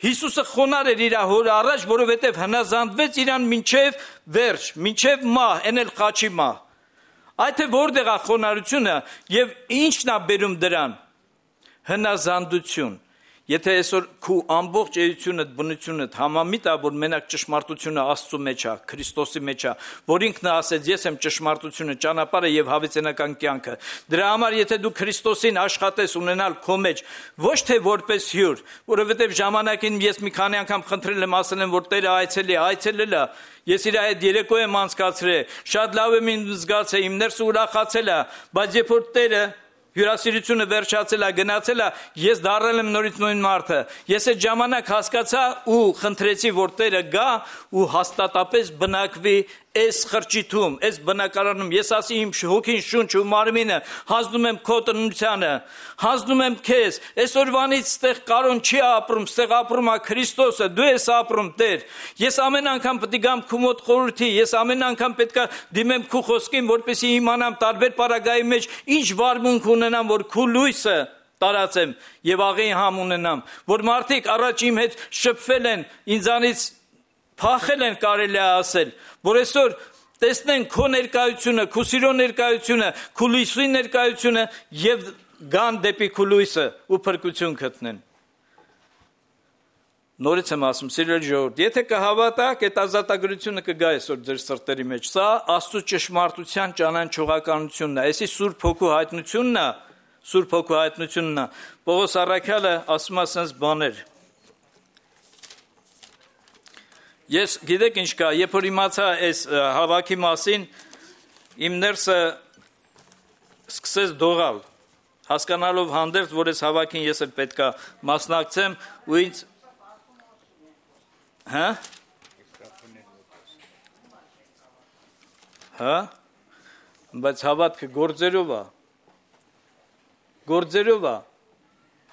B: Հիսուսը խոնարհ էր իր հոր առաջ, որովհետև հնազանդվեց իրան մինչև վերջ, մինչև մահ, էնել խաչի մահ։ Այդ է որտեղ է խոնարհությունը եւ ինչն է բերում դրան։ Հնազանդություն։ Եթե այսօր քու ամբողջ էությունդ, բնությունդ համամիտ է, որ մենակ ճշմարտությունը Աստծո մեջ է, Քրիստոսի մեջ է, որ ինքն է ասեց, ես եմ ճշմարտությունը, ճանապարհը եւ հավիտենական կյանքը։ Դրա համար եթե դու Քրիստոսին աշխատես ունենալ քո մեջ, ոչ թե որպես հյուր, որովհետեւ ժամանակին ես մի քանի անգամ խնդրել եմ, ասել եմ, որ Տերը այցելի, այցելել է, ես իր այդ երեկո եմ անցկացրել, շատ լավ եմ զգացել, իմ ներսը ուրախացել է, բայց երբ որ Տերը հյուրասիրությունը վերջացել է, գնացել է, ես դառել եմ նորից նույն մարդը։ Ես այդ ժամանակ հասկացա ու խնդրեցի, որ Տերը գա ու հաստատապես բնակվի այս խրճիթում, այս բնակարանում, ես ասի իմ հոգին, շունչ ու մարմինը, հանձնում եմ քո տնությանը, հանձնում եմ քեզ, այսօրվանից ստեղ կարոն չի ապրում, ստեղ ապրում է Քրիստոսը, դու ես ապրում Տեր, ես ամեն անգամ պետք է գամ քո մոտ խորհրդի, ես ամեն անգամ պետք է դիմեմ քո խոսքին, որպեսզի իմանամ տարբեր պարագայի մեջ ինչ վարմունք ունենամ, որ քո լույսը տարածեմ եւ աղի համ ունենամ, որ մարդիկ առաջ իմ հետ շփվել են, ինձանից փախել են կարելի է ասել, որ այսօր տեսնեն քո ներկայությունը, քո սիրո ներկայությունը, քո լույսի ներկայությունը եւ գան դեպի քո լույսը ու փրկություն գտնեն։ Նորից եմ ասում, սիրելի ժողովուրդ, եթե կհավատաք, այդ ազատագրությունը կգա այսօր ձեր սրտերի մեջ։ Սա Աստծո ճշմարտության ճանաչողականությունն է, այսի Սուրբ Հոգու հայտնությունն է, Սուրբ Հոգու հայտնությունն է։ Պողոս առաքյալը ասում է sense բաներ։ Ես գիտեք ինչ կա, երբ որ իմացա այս հավաքի մասին, իմ ներսը սկսեց դողալ, հասկանալով հանդերձ, որ այս հավաքին ես էլ պետք է մասնակցեմ ու ինձ հա հա բայց հավատքը գործերով է գործերով է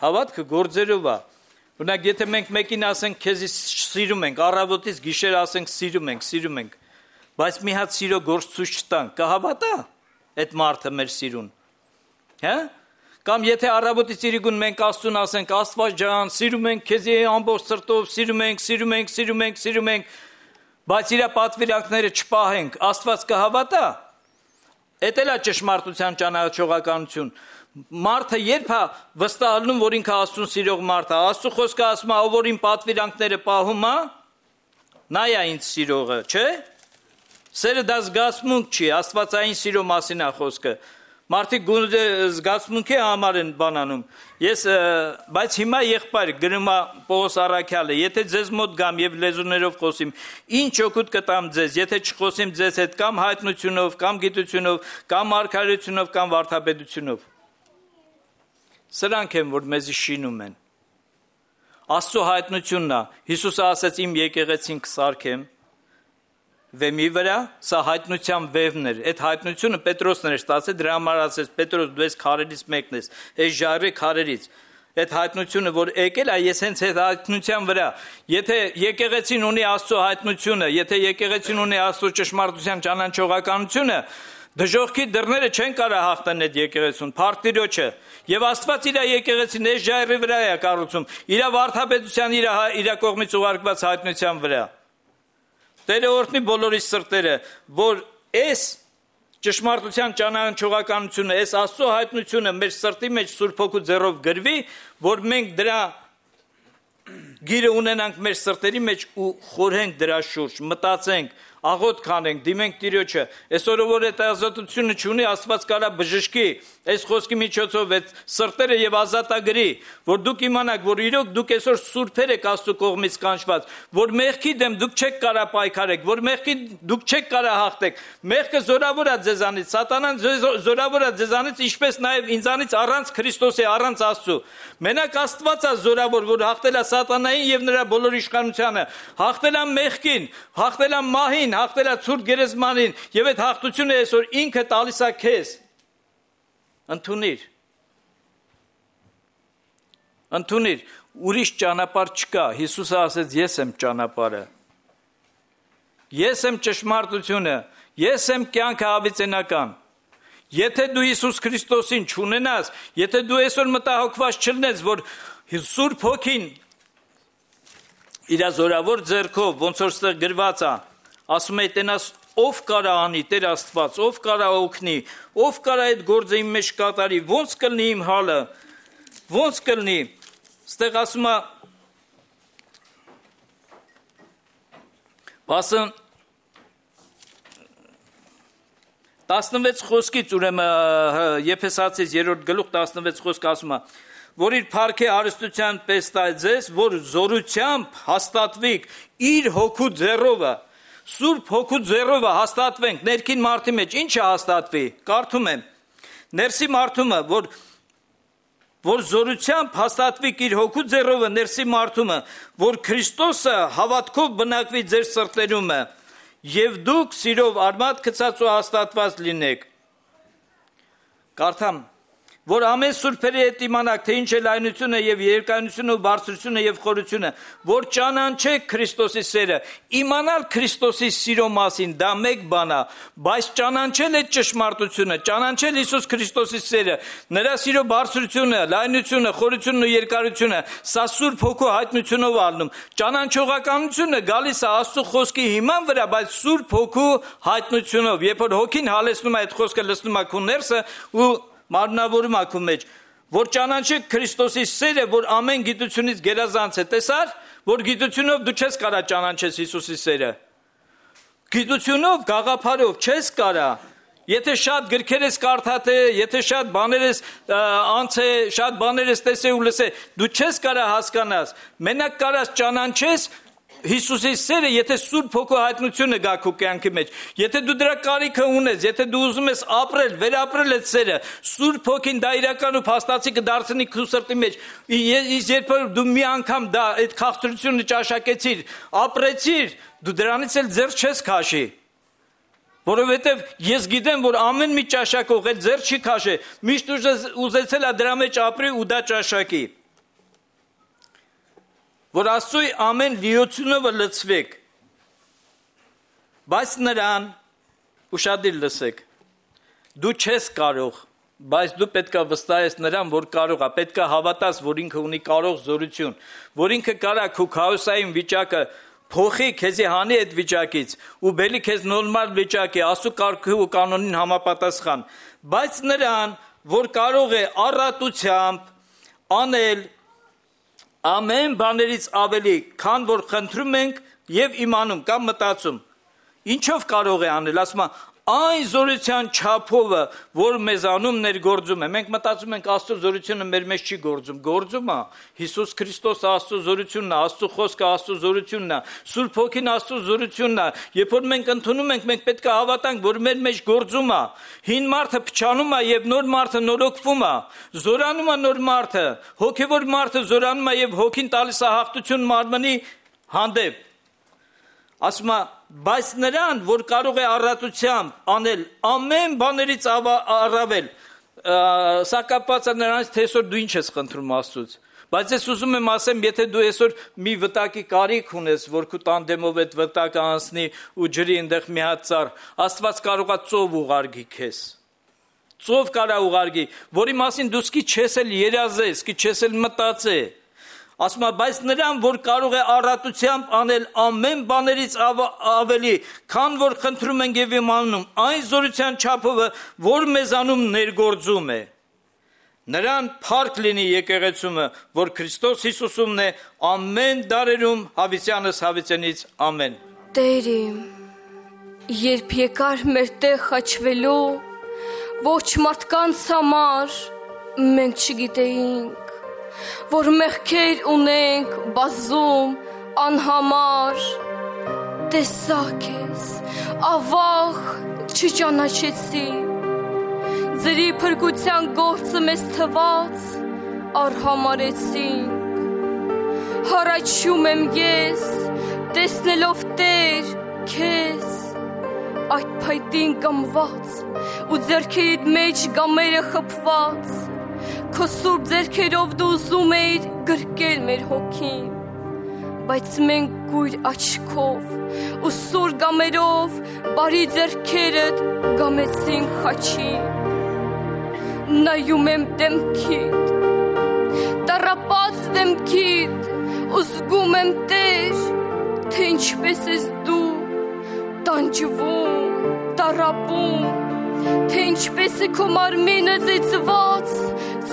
B: հավատքը գործերով է Օրինակ, եթե մենք մեկին ասենք, քեզ սիրում ենք, առավոտից գիշեր ասենք, սիրում ենք, սիրում ենք, բայց մի հատ սիրո գործ ցույց չտանք, կհավատա այդ մարդը մեր սիրուն։ Հա? Կամ եթե առավոտից իրիկուն մենք Աստծուն ասենք, Աստված ջան, սիրում ենք քեզ ամբողջ սրտով, սիրում ենք, սիրում ենք, սիրում ենք, սիրում ենք, բայց իր պատվիրանքները չպահենք, Աստված կհավատա։ Էդ էլ է ճշմարտության ճանաչողականություն։ Մարդը երբ է վստահանում, որ ինքը Աստծուն սիրող մարդ է, Աստծո խոսքը ասում է, ով որ իմ պատվիրանքները պահում է, նա է ինձ սիրողը, չէ՞։ Սերը դա զգացմունք չի, աստվածային սիրո մասին է խոսքը։ Մարդիկ զգացմունքի համար են բանանում։ Ես, բայց հիմա եղբայր գրում է Պողոս առաքյալը, եթե ձեզ մոտ գամ եւ լեզուներով խոսիմ, ինչ օգուտ կտամ ձեզ, եթե չխոսիմ ձեզ հետ կամ հայտնությունով, կամ գիտությունով, կամ արքայությունով, կամ վարդապետությունով։ Սրանք են, որ մեզի շինում են։ Աստծո հայտնությունն է, Հիսուսը ասաց իմ եկեղեցին կսարքեմ վեմի վրա, սա հայտնության վևն էր, այդ հայտնությունը Պետրոսն էր ստացել, դրա համար ասեց Պետրոս դու ես քարերից մեկն ես, այս ժայռի քարերից, այդ հայտնությունը, որ եկել է, ես հենց այդ հայտնության վրա, եթե եկեղեցին ունի Աստծո հայտնությունը, եթե եկեղեցին ունի Աստծո ճշմարտության ճանաչողականությունը, դժոխքի դռները չեն կարող հաղթեն այդ եկեղեցուն, փառք Եվ Աստված իր եկեղեցին այս ժայռի վրա է կառուցում, իր վարդապետության, իր իր կողմից ուղարկված հայտնության վրա։ Տերը օրհնի բոլորի սրտերը, որ այս ճշմարտության ճանաչողականությունը, այս Աստծո հայտնությունը մեր սրտի մեջ Սուրբ Հոգու ձեռով գրվի, որ մենք դրա գիրը ունենանք մեր սրտերի մեջ ու խորհենք դրա շուրջ, մտածենք, աղոտ կանենք, դիմենք Տիրոջը։ Այսօր որ այդ ազատությունը չունի, Աստված կարա բժշկի այս խոսքի միջոցով այդ սրտերը եւ ազատագրի, որ դուք իմանաք, որ իրոք դուք այսօր սուրբեր եք Աստծո կողմից կանչված, որ մեղքի դեմ դուք չեք կարա պայքարեք, որ մեղքի դուք չեք կարա հաղթեք։ Մեղքը զորավոր է ձեզանից, սատանան զորավոր է ձեզանից, ինչպես նաեւ ինձանից առանց Քրիստոսի, առանց Աստծո։ Մենակ Աստված է զորավոր, որ հաղթել է սատանային եւ նրա բոլոր իշխանությանը, հաղթել է մեղքին, հաղթել է մահին, հաղթել է ցուրտ գերեզմանին, եւ այդ հաղթությունը այսօր ինքը տալիս է քեզ։ Ընդունիր։ Ընդունիր, ուրիշ ճանապարհ չկա։ Հիսուսը ասեց, ես եմ ճանապարհը։ Ես եմ ճշմարտությունը, ես եմ կյանքը հավիտենական։ Եթե դու Հիսուս Քրիստոսին չունենաս, եթե դու այսօր մտահոգված չլնես, որ Սուրբ Հոգին իր զորավոր ձեռքով, ոնց որ ստեղ գրված է, ասում է, տենաս ով կարա անի, Տեր Աստված, ով կարա օգնի, ով կարա այդ գործը իմ մեջ կատարի, ոնց կլինի իմ հալը, ոնց կլինի։ Ստեղ ասում է, ասում տասնվեց խոսքից, ուրեմն Եփեսացիս երրորդ գլուխ տասնվեց խոսք ասում է, որ իր փառքի հարստության պես տա ձեզ, որ զորությամբ հաստատվիկ իր հոգու ձեռովը, Սուրբ Հոգու ձեռովը հաստատվենք ներքին մարդի մեջ, ինչը հաստատվի, կարդում եմ, ներսի մարդումը, որ որ զորությամբ հաստատվիկ իր հոգու ձեռովը ներսի մարդումը, որ Քրիստոսը հավատքով բնակվի ձեր սրտերումը, եւ դուք սիրով արմատ գցած ու հաստատված լինեք։ Կարդամ, որ ամեն սուրբերի հետ իմանաք, թե ինչ է լայնությունը եւ երկայնությունը ու բարձրությունը եւ խորությունը, որ ճանաչեք Քրիստոսի սերը, իմանալ Քրիստոսի սիրո մասին, դա մեկ բան է, բայց ճանաչել է ճշմարտությունը, ճանաչել Հիսուս Քրիստոսի սերը, նրա սիրո բարձրությունը, լայնությունը, խորությունն ու երկարությունը, սա Սուրբ Հոգու հայտնությունով առնում։ Ճանաչողականությունը գալիս է Աստծո խոսքի հիման վրա, բայց Սուրբ Հոգու հայտնությունով, երբ որ Հոգին հալեցնում է այդ խոսքը, լցնում է քո ներսը ու մարմնավորում ակու մեջ, որ ճանաչեք Քրիստոսի սերը, որ ամեն գիտությունից գերազանց է, տեսար, որ գիտությունով դու չես կարա ճանաչես Հիսուսի սերը, գիտությունով, գաղափարով չես կարա, եթե շատ գրքեր ես կարդատե, եթե շատ բաներ ես անցե, շատ բաներ ես տեսե ու լսե, դու չես կարա հասկանաս, մենակ կարաս ճանաչես Հիսուսի սերը, եթե Սուրբ Հոգու հայտնությունը գա քո կյանքի մեջ, եթե դու դրա կարիքը ունես, եթե դու ուզում ես ապրել, վերապրել այդ սերը, Սուրբ Հոգին դա իրական ու փաստացի կդարձնի քո սրտի մեջ, իսկ երբ դու մի անգամ դա այդ քաղցրությունը ճաշակեցիր, ապրեցիր, դու դրանից էլ ձեռ չես քաշի, որովհետև ես գիտեմ, որ ամեն մի ճաշակող էլ ձեռ չի քաշի, միշտ ուզեցել է դրա մեջ ապրի ու դա ճաշակի, որ Աստծոյ ամեն լիությունով լցվեք, բայց նրան, ուշադիր լսեք, դու չես կարող, բայց դու պետքա վստահես նրան, որ կարող է, պետքա հավատաս, որ ինքը ունի կարող զորություն, որ ինքը կարա քո քաոսային վիճակը փոխի, քեզի հանի այդ վիճակից ու բելի քեզ նորմալ վիճակի, Աստծո կարգի ու կանոնին համապատասխան, բայց նրան, որ կարող է առատությամբ անել ամեն բաներից ավելի, քան որ խնդրում ենք եւ իմանում կամ մտածում, ինչով կարող է անել, ասում է, այն զորության չափովը, որ մեզանում ներգործում է, մենք մտածում ենք Աստծո զորությունը մեր մեջ չի գործում, գործում է, Հիսուս Քրիստոս Աստծո զորությունն է, Աստծո խոսքը Աստծո զորությունն է, Սուրբ Հոգին Աստծո զորությունն է, երբ որ մենք ընդունում ենք, մենք պետք է հավատանք, որ մեր մեջ գործում է, հին մարդը փչանում է եւ նոր մարդը նորոգվում է, զորանում է նոր մարդը, հոգեվոր մարդը զորանում է եւ Հոգին տալիս է հաղթություն մարմնի հանդեպ, ասում է, բայց նրան, որ կարող է առատությամբ անել ամեն բաներից առավել, սա կապված է նրանից, թե այսօր դու ինչ ես խնդրում Աստծուց, բայց ես ուզում եմ ասեմ, եթե դու այսօր մի վտակի կարիք ունես, որ քո տանդեմով այդ վտակը անցնի ու ջրի այնտեղ մի հատ ծառ, Աստված կարող է ծով ուղարկի քեզ, ծով կարա ուղարկի, որի մասին դու սկի չես էլ երազես, սկի չես էլ մտածե, ասում է, բայց նրան, որ կարող է առատությամբ անել ամեն բաներից ավելի, քան որ խնդրում ենք եւ իմանում, այն զորության չափովը, որ մեզանում ներգործում է, նրան փառք լինի եկեղեցումը, որ Քրիստոս Հիսուսումն է, ամեն դարերում հավիտյանս հավիտենից, ամեն։
E: Տեր իմ, երբ եկար մեր տեղ խաչվելու, ոչ մարդկանց համար մենք չգիտեինք, որ մեղքեր ունենք բազում անհամար, տեսա քեզ, ավաղ չճանաչեցի, ձրի փրկության գործը մեզ թված արհամարեցինք, հառաչում եմ ես, տեսնելով Տեր քեզ, այդ փայտին կամված ու ձեռքերիդ մեջ գամերը խփված, քո սուրբ ձեռքերով դու ուզում էիր գրկել մեր հոգին, բայց մենք գույր աչքով ու սուր գամերով բարի ձեռքերդ գամեցինք խաչին, նայում եմ դեմքիդ, տառապած դեմքիդ, ու զգում եմ Տեր, թե ինչպես ես դու տանջվում, տառապում, թե ինչպես է քո մարմինը ծեծված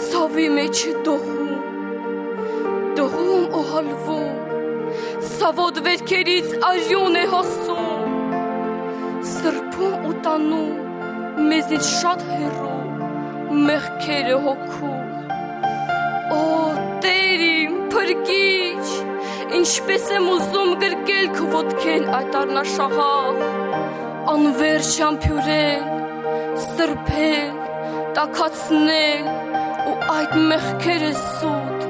E: ցավի մեջ դողում, դողում ու հալվում, ցավոտ վերքերից արյուն է հոսում, սրբում ու տանում մեզից շատ հեռու մեղքերը հոգում, օ Տեր իմ փրկիչ, ինչպես եմ ուզում գրկել քո ոտքեն այդ առնաշաղախ, անվերջ համբուրել, սրբել, տաքացնել ու այդ մեղքերը սուտ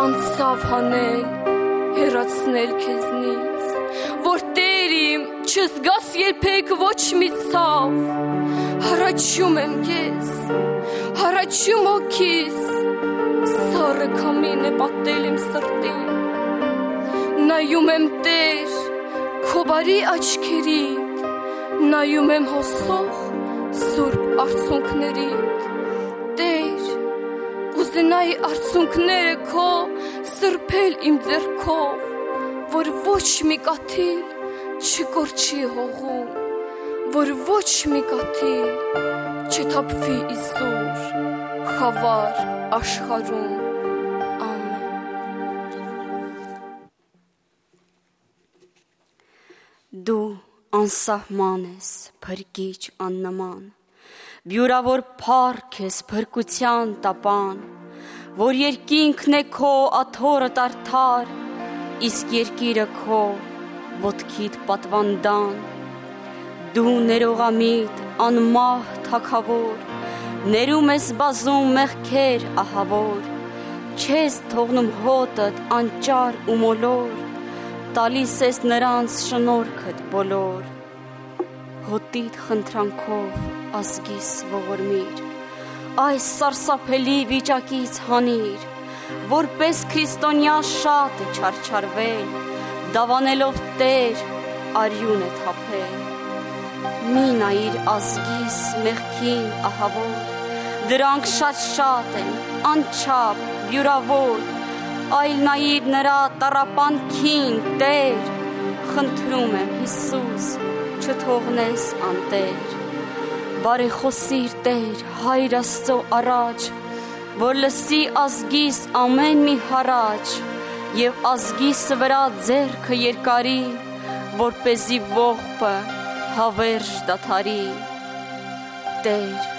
E: անցավ հանել, հեռացնել քեզնից, որ Տեր իմ չզգաս երբեք ոչ մի ցավ, հառաչում եմ ես, հառաչում հոգիս, սառը քամին է պատել իմ սրտին, նայում եմ Տեր, քո բարի աչքերիդ, նայում եմ հոսող սուրբ արցունքներիդ, Տեր, կուզենայի արցունքները քո սրբել իմ ձեռքով, որ ոչ մի կաթիլ չկորչի հողում, որ ոչ մի կաթիլ չթափվի իզուր, խավար աշխարհում, ամեն։
F: Դու անսահման ես, փրկիչ աննման, բյուրավոր փառք ես փրկության տապան, որ երկինքն է քո աթոռդ արդար, իսկ երկիրը քո ոտքիդ պատվանդան, դու ներողամիտ անմահ թագավոր, ներում ես բազում մեղքեր ահավոր, չես թողնում հոտդ անճար ու մոլոր, տալիս ես նրանց շնորհքդ բոլոր, հոտիդ խնդրանքով ազգիս ողորմիր, այս սարսափելի վիճակից հանիր, որպես քրիստոնյա շատ է չարչարվել, դավանելով Տեր արյուն է թափել, մի նայիր ազգիս մեղքին ահավոր, դրանք շատ-շատ են, անչափ, բյուրավոր, այլ նայիր նրա տառապանքին, Տեր, խնդրում եմ Հիսուս, չթողնես անտեր, բարեխոսիր Տեր, Հայր Աստծո առաջ, որ լսի ազգիս ամեն մի հառաչ, եւ ազգիս վրա ձեռքը երկարի, որպեսզի ողբը հավերժ դադարի, Տեր,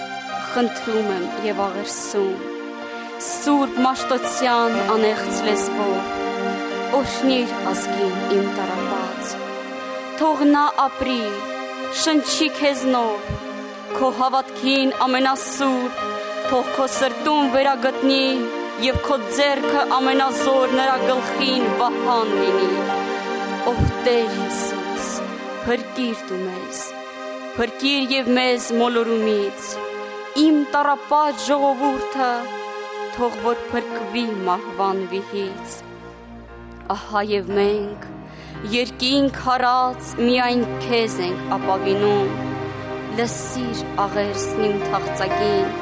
F: խնդրում եմ եւ աղերսում, սուրբ մաշտոցյան անեղծ լեզվով, օրհնիր ազգին իմ տառապած, թող նա ապրի, շնչի քեզնով, քո հավատքին ամենասուրբ, թող քո սրտում վերագտնի եւ քո ձեռքը ամենազոր նրա գլխին վահան լինի, ով Տեր Հիսուս, փրկիր դու մեզ, փրկիր եւ մեզ մոլորումից, իմ տառապած ժողովուրդը, թող որ փրկվի մահվան վիհից, ահա եւ մենք, երկինք հարած միայն քեզ ենք ապավինում, լսիր աղերսն իմ թախծագին,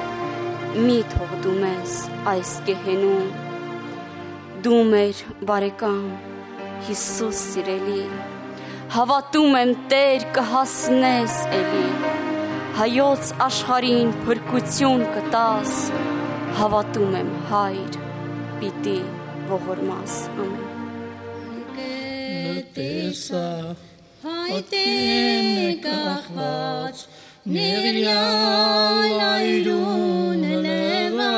F: մի թող դու մեզ այս գեհենում, դու մեր բարեկամ, Հիսուս սիրելի, հավատում եմ Տեր կհասնես էլի, հայոց աշխարհին փրկություն կտաս, հավատում եմ Հայր, պիտի ողորմաս, ամեն։
D: Տեսա
A: հայտեն կախված, նեղյալ այրուն լևա,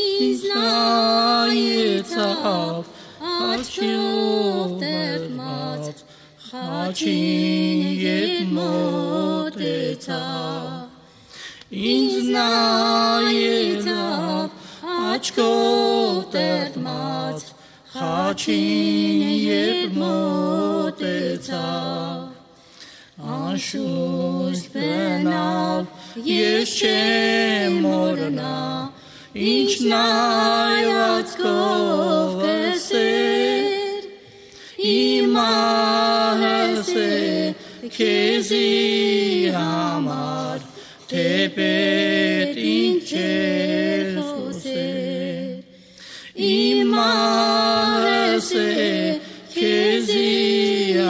A: ինձ նայեցավ, աչքով տերմած, խաչին ետ մոտեցավ, ինձ նայեցավ, աչքով տերմած, խաչին ետ մոտեցավ, անշուշտ բնավ, ես չեմ մոռնա, ինչ նայվածքով կսեր, իմ ահես է քեզի համար, թեպետ ինչ էր խոսեր, իմ ահես է քեզի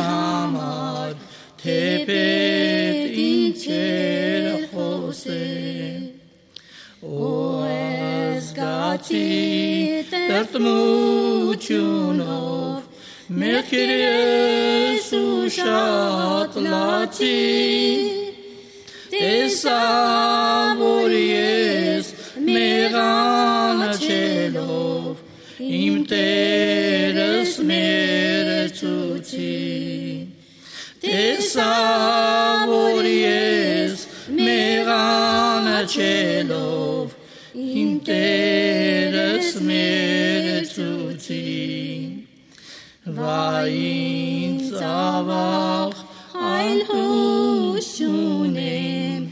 A: համար, թեպետ ինչ էր խոսեր, օ զգացի տրտմությունով, մեղքերս ու շատ լացի, տեսա, որ ես մեղանաչելով, իմ Տերս մերեցուցի, տեսա, որ ես մեղանաչելով, իմ Տերս մերեցուցի, վայ ինձ ավաղ այլ հույս չունեմ,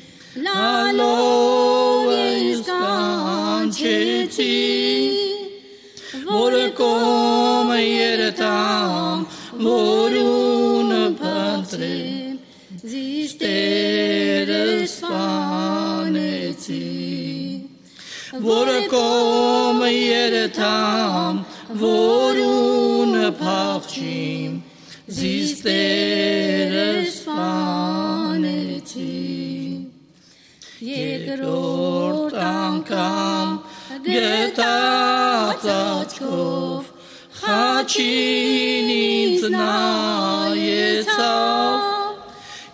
A: լալով ես կանչեցի, որ կողմը երթամ, որուն փնտրեմ, զիս Տերս սպանեցի, որ կողմը երթամ, որուն փախչիմ, զիս Տերս սպանեցի, երկրորդ անգամ գտած աչքով, խաչին ինձ նայեցավ,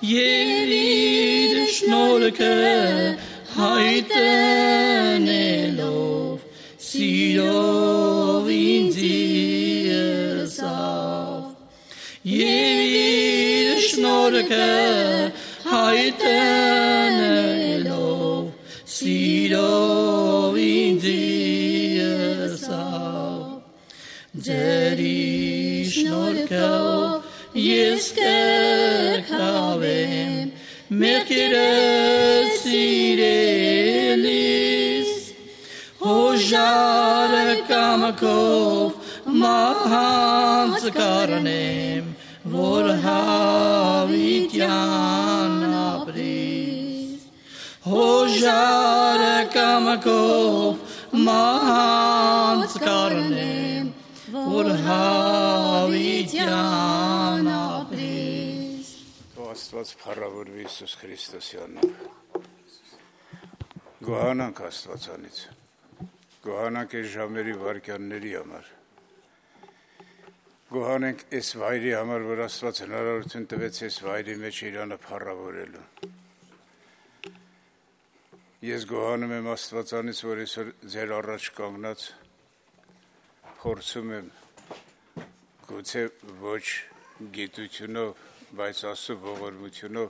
A: և իր շնորհքը հայտնելով, սիրով ինձի ըսավ, և իր շնորհքը հայտնելով, սիրով ինձի ըսավ, ձերի շնորհքով ես կրքավեմ, մեղքերս սիրելիս, հոժարը կամքով մահանց կառնեմ, որ հավիտյան ապրիս, հոժարը կամքով մահանց կառնեմ, որ հավիտյան ապրիս,
G: Աստված փառավորվի Հիսուս Քրիստոսի անունով, գոհանանք Աստվածանից, գոհանանք այս ժամերի վայրկյանների համար, գոհանանք այս վայրի համար, որ Աստված հնարավորություն տվեց այս վայրի մեջ Իրանը փառավորելու, ես գոհանում եմ Աստվածանից, որ այսօր ձեր առաջ կանգնած փորձում եմ գուցե ոչ գիտությունով, բայց Աստծո ողորմությունով,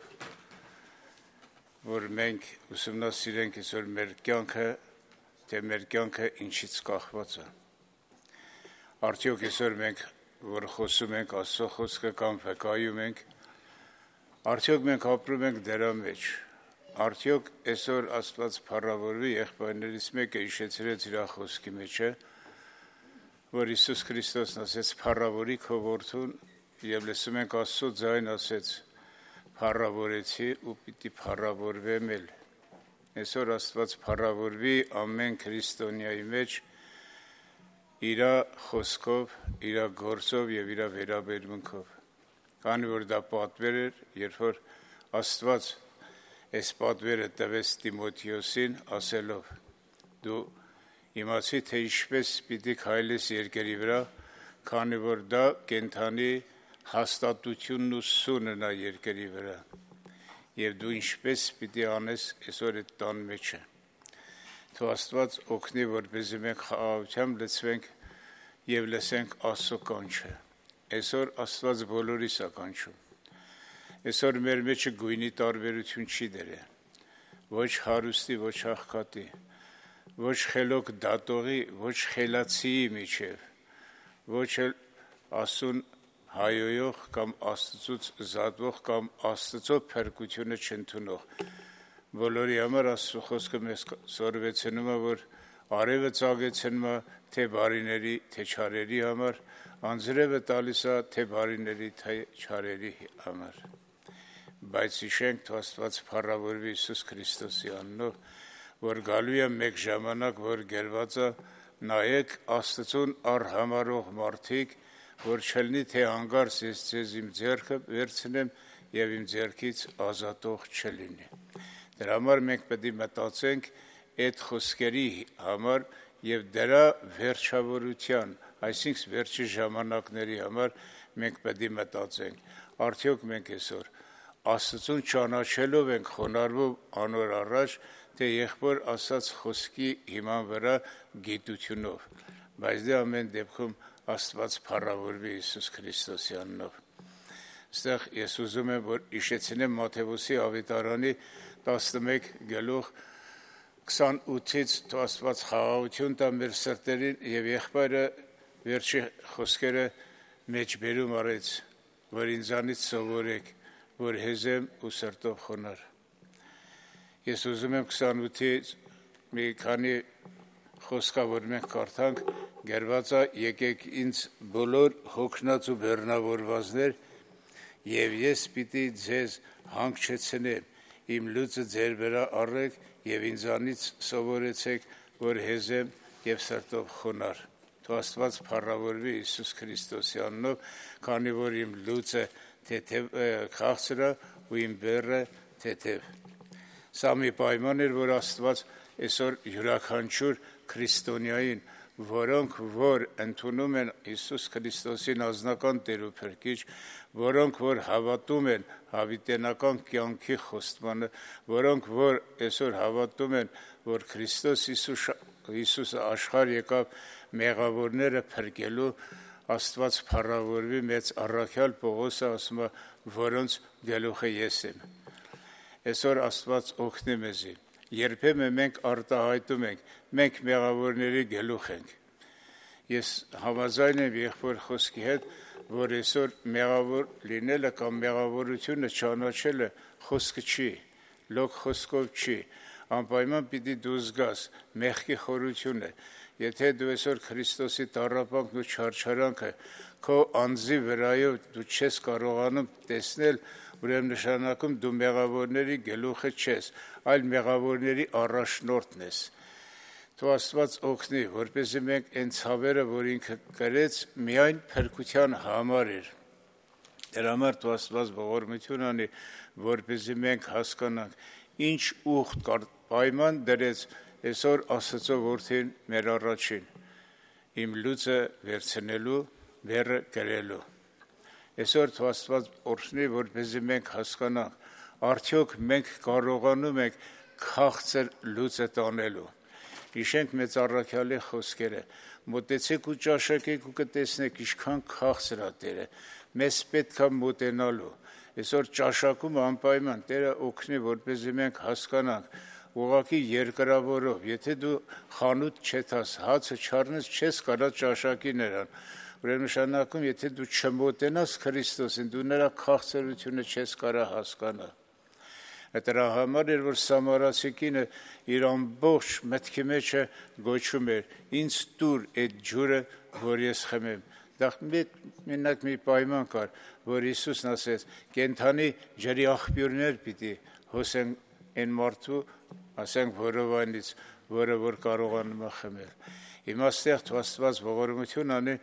G: որ մենք ուսումնասիրենք այսօր մեր կյանքը, թե մեր կյանքը ինչից կախված է։ Արդյոք այսօր մենք, որ խոսում ենք Աստծո խոսքը կամ վկայում ենք, արդյոք մենք ապրում ենք դրա մեջ։ Արդյոք այսօր Աստված փառավորվի, եղբայրներից մեկը հիշեցրեց իր խոսքի մեջը, որ Հիսուս Քրիստոսն ասեց փառավորի քո որդուն, և լսում ենք Աստծո ձայն ասեց փառավորեցի ու պիտի փառավորվեմ էլ։ Այսօր Աստված փառավորվի ամեն քրիստոնյայի մեջ իր խոսքով, իր գործով և իր վերաբերմունքով։ Քանի որ դա պատվեր էր, երբ որ Աստված այս պատվերը տվեց Տիմոթեոսին ասելով. դու իմացի թե ինչպես պիտի քայլես երկրի վրա, քանի որ դա կենդանի հաստատությունն ու սունը նա երկրի վրա։ Եվ դու ինչպես պիտի անես այսօր այդ տան մեջը։ Թող Աստված օգնի, որպեսզի մենք խաղաղությամբ լցվենք եւ լսենք Աստծո կանչը։ Այսօր Աստված բոլորիս է կանչում։ Այսօր մեր մեջը գույնի տարբերություն չի դրել։ Ոչ հարուստի, ոչ աղքատի, ոչ խելոք դատողի, ոչ խելացիի միջև, ոչ էլ Աստծուն հայոյող կամ Աստծուց զատվող կամ Աստծո փրկությունը չընդունող։ Բոլորի համար Աստծո խոսքը մեզ սորվեցնում է, որ արևը ծագեցնում է թե բարիների, թե չարերի համար, անձրևը տալիս է թե բարիների, թե չարերի համար։ Բայց հիշենք, թող Աստված փառավորվի Հիսուս Քրիստոսի անունով, որ գալու է մեկ ժամանակ, որ գերված է, նայեք Աստծուն արհամարող մարդիկ, որ չլինի թե հանգարց ես ձեզ իմ ձեռքը վերցնեմ եւ իմ ձեռքից ազատող չլինի։ Դրա համար մենք պետք է մտածենք այդ խոսքերի համար եւ դրա վերջավորության, այսինքն վերջի ժամանակների համար մենք պետք է մտածենք։ Արդյոք մենք այսօր Աստծուն ճանաչելով ենք խոնարհվում անոր առաջ, թե եղբոր ասած խոսքի հիման վրա գիտությունով, բայց դե ամեն դեպքում Աստված փառավորվի Հիսուս Քրիստոսի անունով։ Այստեղ ես ուզում եմ, որ հիշեցնեմ Մատթեոսի ավետարանի տասնմեկ գլուխ քսանութից թող Աստված խաղաղություն տա մեր սրտերին եւ եղբայրը վերջի խոսքերը մեջբերում արեց, որ ինձանից սովորեք, որ հեզեմ ու սրտով խոնար։ Ես ուզում եմ քսանութից մի քանի խոսքա, որ մենք կարդանք, գերված է եկեք ինձ բոլոր հոգնած ու բեռնավորվածներ, եւ ես պիտի ձեզ հանգչեցնեմ, իմ լուծը ձեր վրա առեք եւ ինձանից սովորեցեք, որ հեզեմ եւ սրտով խոնար։ Թող Աստված փառավորվի Հիսուս Քրիստոսի անունով, քանի որ իմ լուծը թեթև քաղցր է ու իմ բեռը թեթև։ Սա մի պայման էր, որ Աստված այսօր յուրաքանչյուր քրիստոնյային, որոնք որ ընդունում են Հիսուս Քրիստոսին անձնական Տեր ու Փրկիչ, որոնք որ հավատում են հավիտենական կյանքի խոստմանը, որոնք որ այսօր հավատում են, որ Քրիստոս Հիսուսը աշխարհ եկավ մեղավորները փրկելու, Աստված փառավորվի մեծ առաքյալ Պողոսը ասում է, որոնց գլուխը ես եմ։ Այսօր Աստված օգնի մեզի։ Երբեմն մենք արտահայտում ենք, մենք մեղավորների գլուխ ենք։ Ես համաձայն եմ եղբոր խոսքի հետ, որ այսօր մեղավոր լինելը կամ մեղավորությունը ճանաչելը խոսքը չի, լոկ խոսքով չի, անպայման պիտի դու զգաս մեղքի խորությունը։ Եթե դու այսօր Քրիստոսի տառապանքն ու չարչարանքը քո անձի վրայով դու չես կարողանում տեսնել, ուրեմն նշանակում դու մեղավորների գլուխը չես, այլ մեղավորների առաջնորդն ես։ Թող Աստված օգնի, որպեսզի մենք այն ցավերը, որ ինքը կրեց, միայն փրկության համար էր։ Դրա համար թող Աստված ողորմություն անի, որպեսզի մենք հասկանանք, ինչ ուխտ պայման դրեց այսօր Աստծո որդին մեր առաջին, իմ լուծը վերցնելու, բեռը կրելու։ Այսօր թող Աստված օրհնի, որպեսզի մենք հասկանանք, արդյոք մենք կարողանում ենք քաղցր լուծը տանելու։ Հիշենք մեծ առաքյալի խոսքերը, մոտեցեք ու ճաշակեք ու կտեսնեք ինչքան քաղցր է Տերը, մեզ պետք է մոտենալու։ Այսօր ճաշակումը անպայման Տերը օգնի, որպեսզի մենք հասկանանք, ուղղակի երկրավորով, եթե դու խանութ չետաս, հացը չառնես, չես կարա ճաշակի նրան։ Ուրեմն նշանակում, եթե դու չմոտենաս Քրիստոսին, դու նրա քաղցրությունը չես կարա հասկանալ։ Դրա համար էր, որ Սամարացի կինը իր ամբողջ մտքի մեջը գոչում էր. ինձ տուր այդ ջուրը, որ ես խմեմ։ Դա մենակ մի պայման կար, որ Հիսուսն ասեց, կենդանի ջրի աղբյուրներ պիտի հոսեն այն մարդու, ասենք որովայնից, որը որ կարողանում է խմել։ Հիմա ստեղ թող Աստված ողորմություն անի,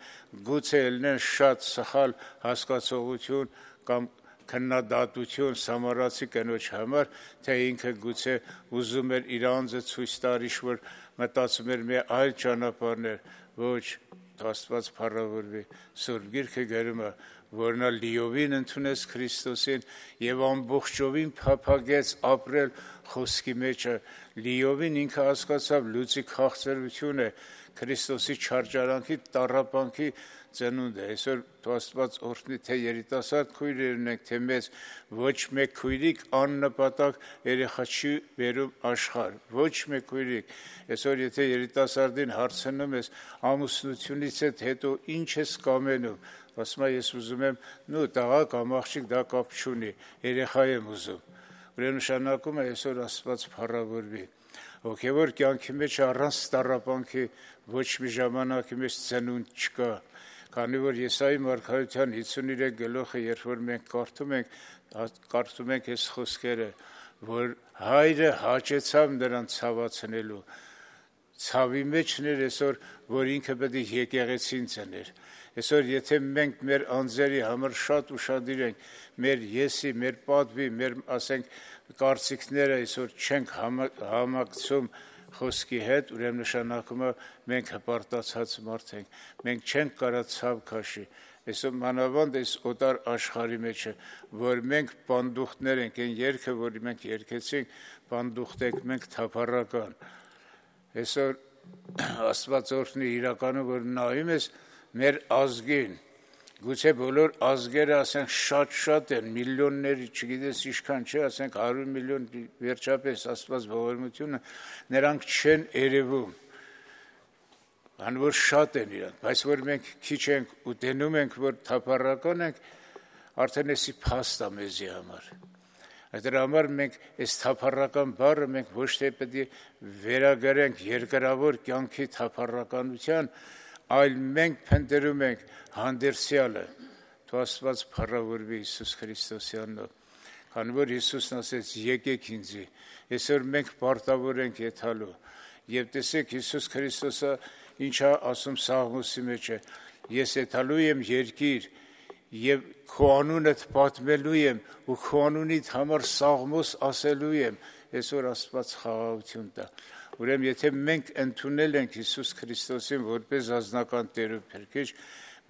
G: գուցե ելնեն շատ սխալ հասկացողություն կամ քննադատություն Սամարացի կնոջ համար, թե ինքը գուցե ուզում էր իր անձը ցույց տալ, որ մտածում էր մի այլ ճանապարհներ, ոչ, Աստված փառավորվի, Սուրբ Գիրքը գրում է, որ նա լիովին ընդունեց Քրիստոսին եւ ամբողջովին փափագեց ապրել խոսքի մեջը, լիովին ինքը հասկացավ լույսի քաղցրությունը Քրիստոսի չարչարանքի տառապանքի ծնունդ է։ Այսօր Աստված օրհնի թե երիտասարդ քույրերն եք, թե մեծ, ոչ մեկ քույրիկ աննպատակ երեխա չի բերում աշխարհ, ոչ մեկ քույրիկ։ Այսօր եթե երիտասարդին հարցնում ես ամուսնությունից հետո ինչ ես կամենում, ասում է ես ուզում եմ նու տղա կամ աղջիկ դա կապ չունի, երեխա եմ ուզում։ Ուրեմն նշանակում է այսօր Աստված փառավորվի։ Հոգևոր կյանքի մեջ առանց տառապանքի ոչ մի ժամանակի մեջ ծնունդ չկա։ Քանի որ Եսայի մարգարեության հիսուներեք գլուխը, երբ որ մենք կարդում ենք, կարդում ենք այս խոսքերը, որ հայրը հաճեցավ նրան ցավացնելու, ցավի մեջն էր այսօր, որ ինքը պետք է եկեղեցին ծներ։ Այսօր եթե մենք մեր անձերի համար շատ ուշադիր ենք, մեր եսի, մեր պատվի, մեր ասենք կարծիքները այսօր չենք համակցում խոսքի հետ, ուրեմն նշանակում է մենք հպարտացած մարդ ենք, մենք չենք կարող ցավ քաշի։ Այսօր մանավանդ այս օտար աշխարհի մեջ է, որ մենք պանդուխտներ ենք, այն երգը, որ մենք երգեցինք, պանդուխտ ենք, մենք թափառական։ Այսօր Աստված օրհնի իրականում, որ նայում ես մեր ազգին, գուցե բոլոր ազգերը ասենք շատ-շատ են, միլիոնների, չգիտես ինչքան չէ, ասենք հարյուր միլիոն վերջապես Աստված ողորմությունը, նրանք չեն երևում, քանի որ շատ են իրանք, բայց որ մենք քիչ ենք ու տենում ենք, որ թափառական ենք, արդեն էսի փաստ է մեզի համար։ Դրա համար մենք այս թափառական բառը մենք ոչ թե պետք է վերագրենք երկրավոր կյանքի թափառականության, այլ մենք փնտրում ենք հանդերձյալը, թող Աստված փառավորվի Հիսուս Քրիստոսի անունով, քանի որ Հիսուսն ասեց եկեք ինձի, այսօր մենք պարտավոր ենք եթալու, եւ տեսեք Հիսուս Քրիստոսը ինչա ասում Սաղմոսի մեջ է, ես եթալու եմ երկիր եւ քո անունդ պատմելու եմ ու քո անունիդ համար Սաղմոս ասելու եմ, այսօր Աստված խաղաղություն տա։ Ուրեմն եթե մենք ընդունել ենք Հիսուս Քրիստոսին որպես ազնական Տեր ու Փրկիչ,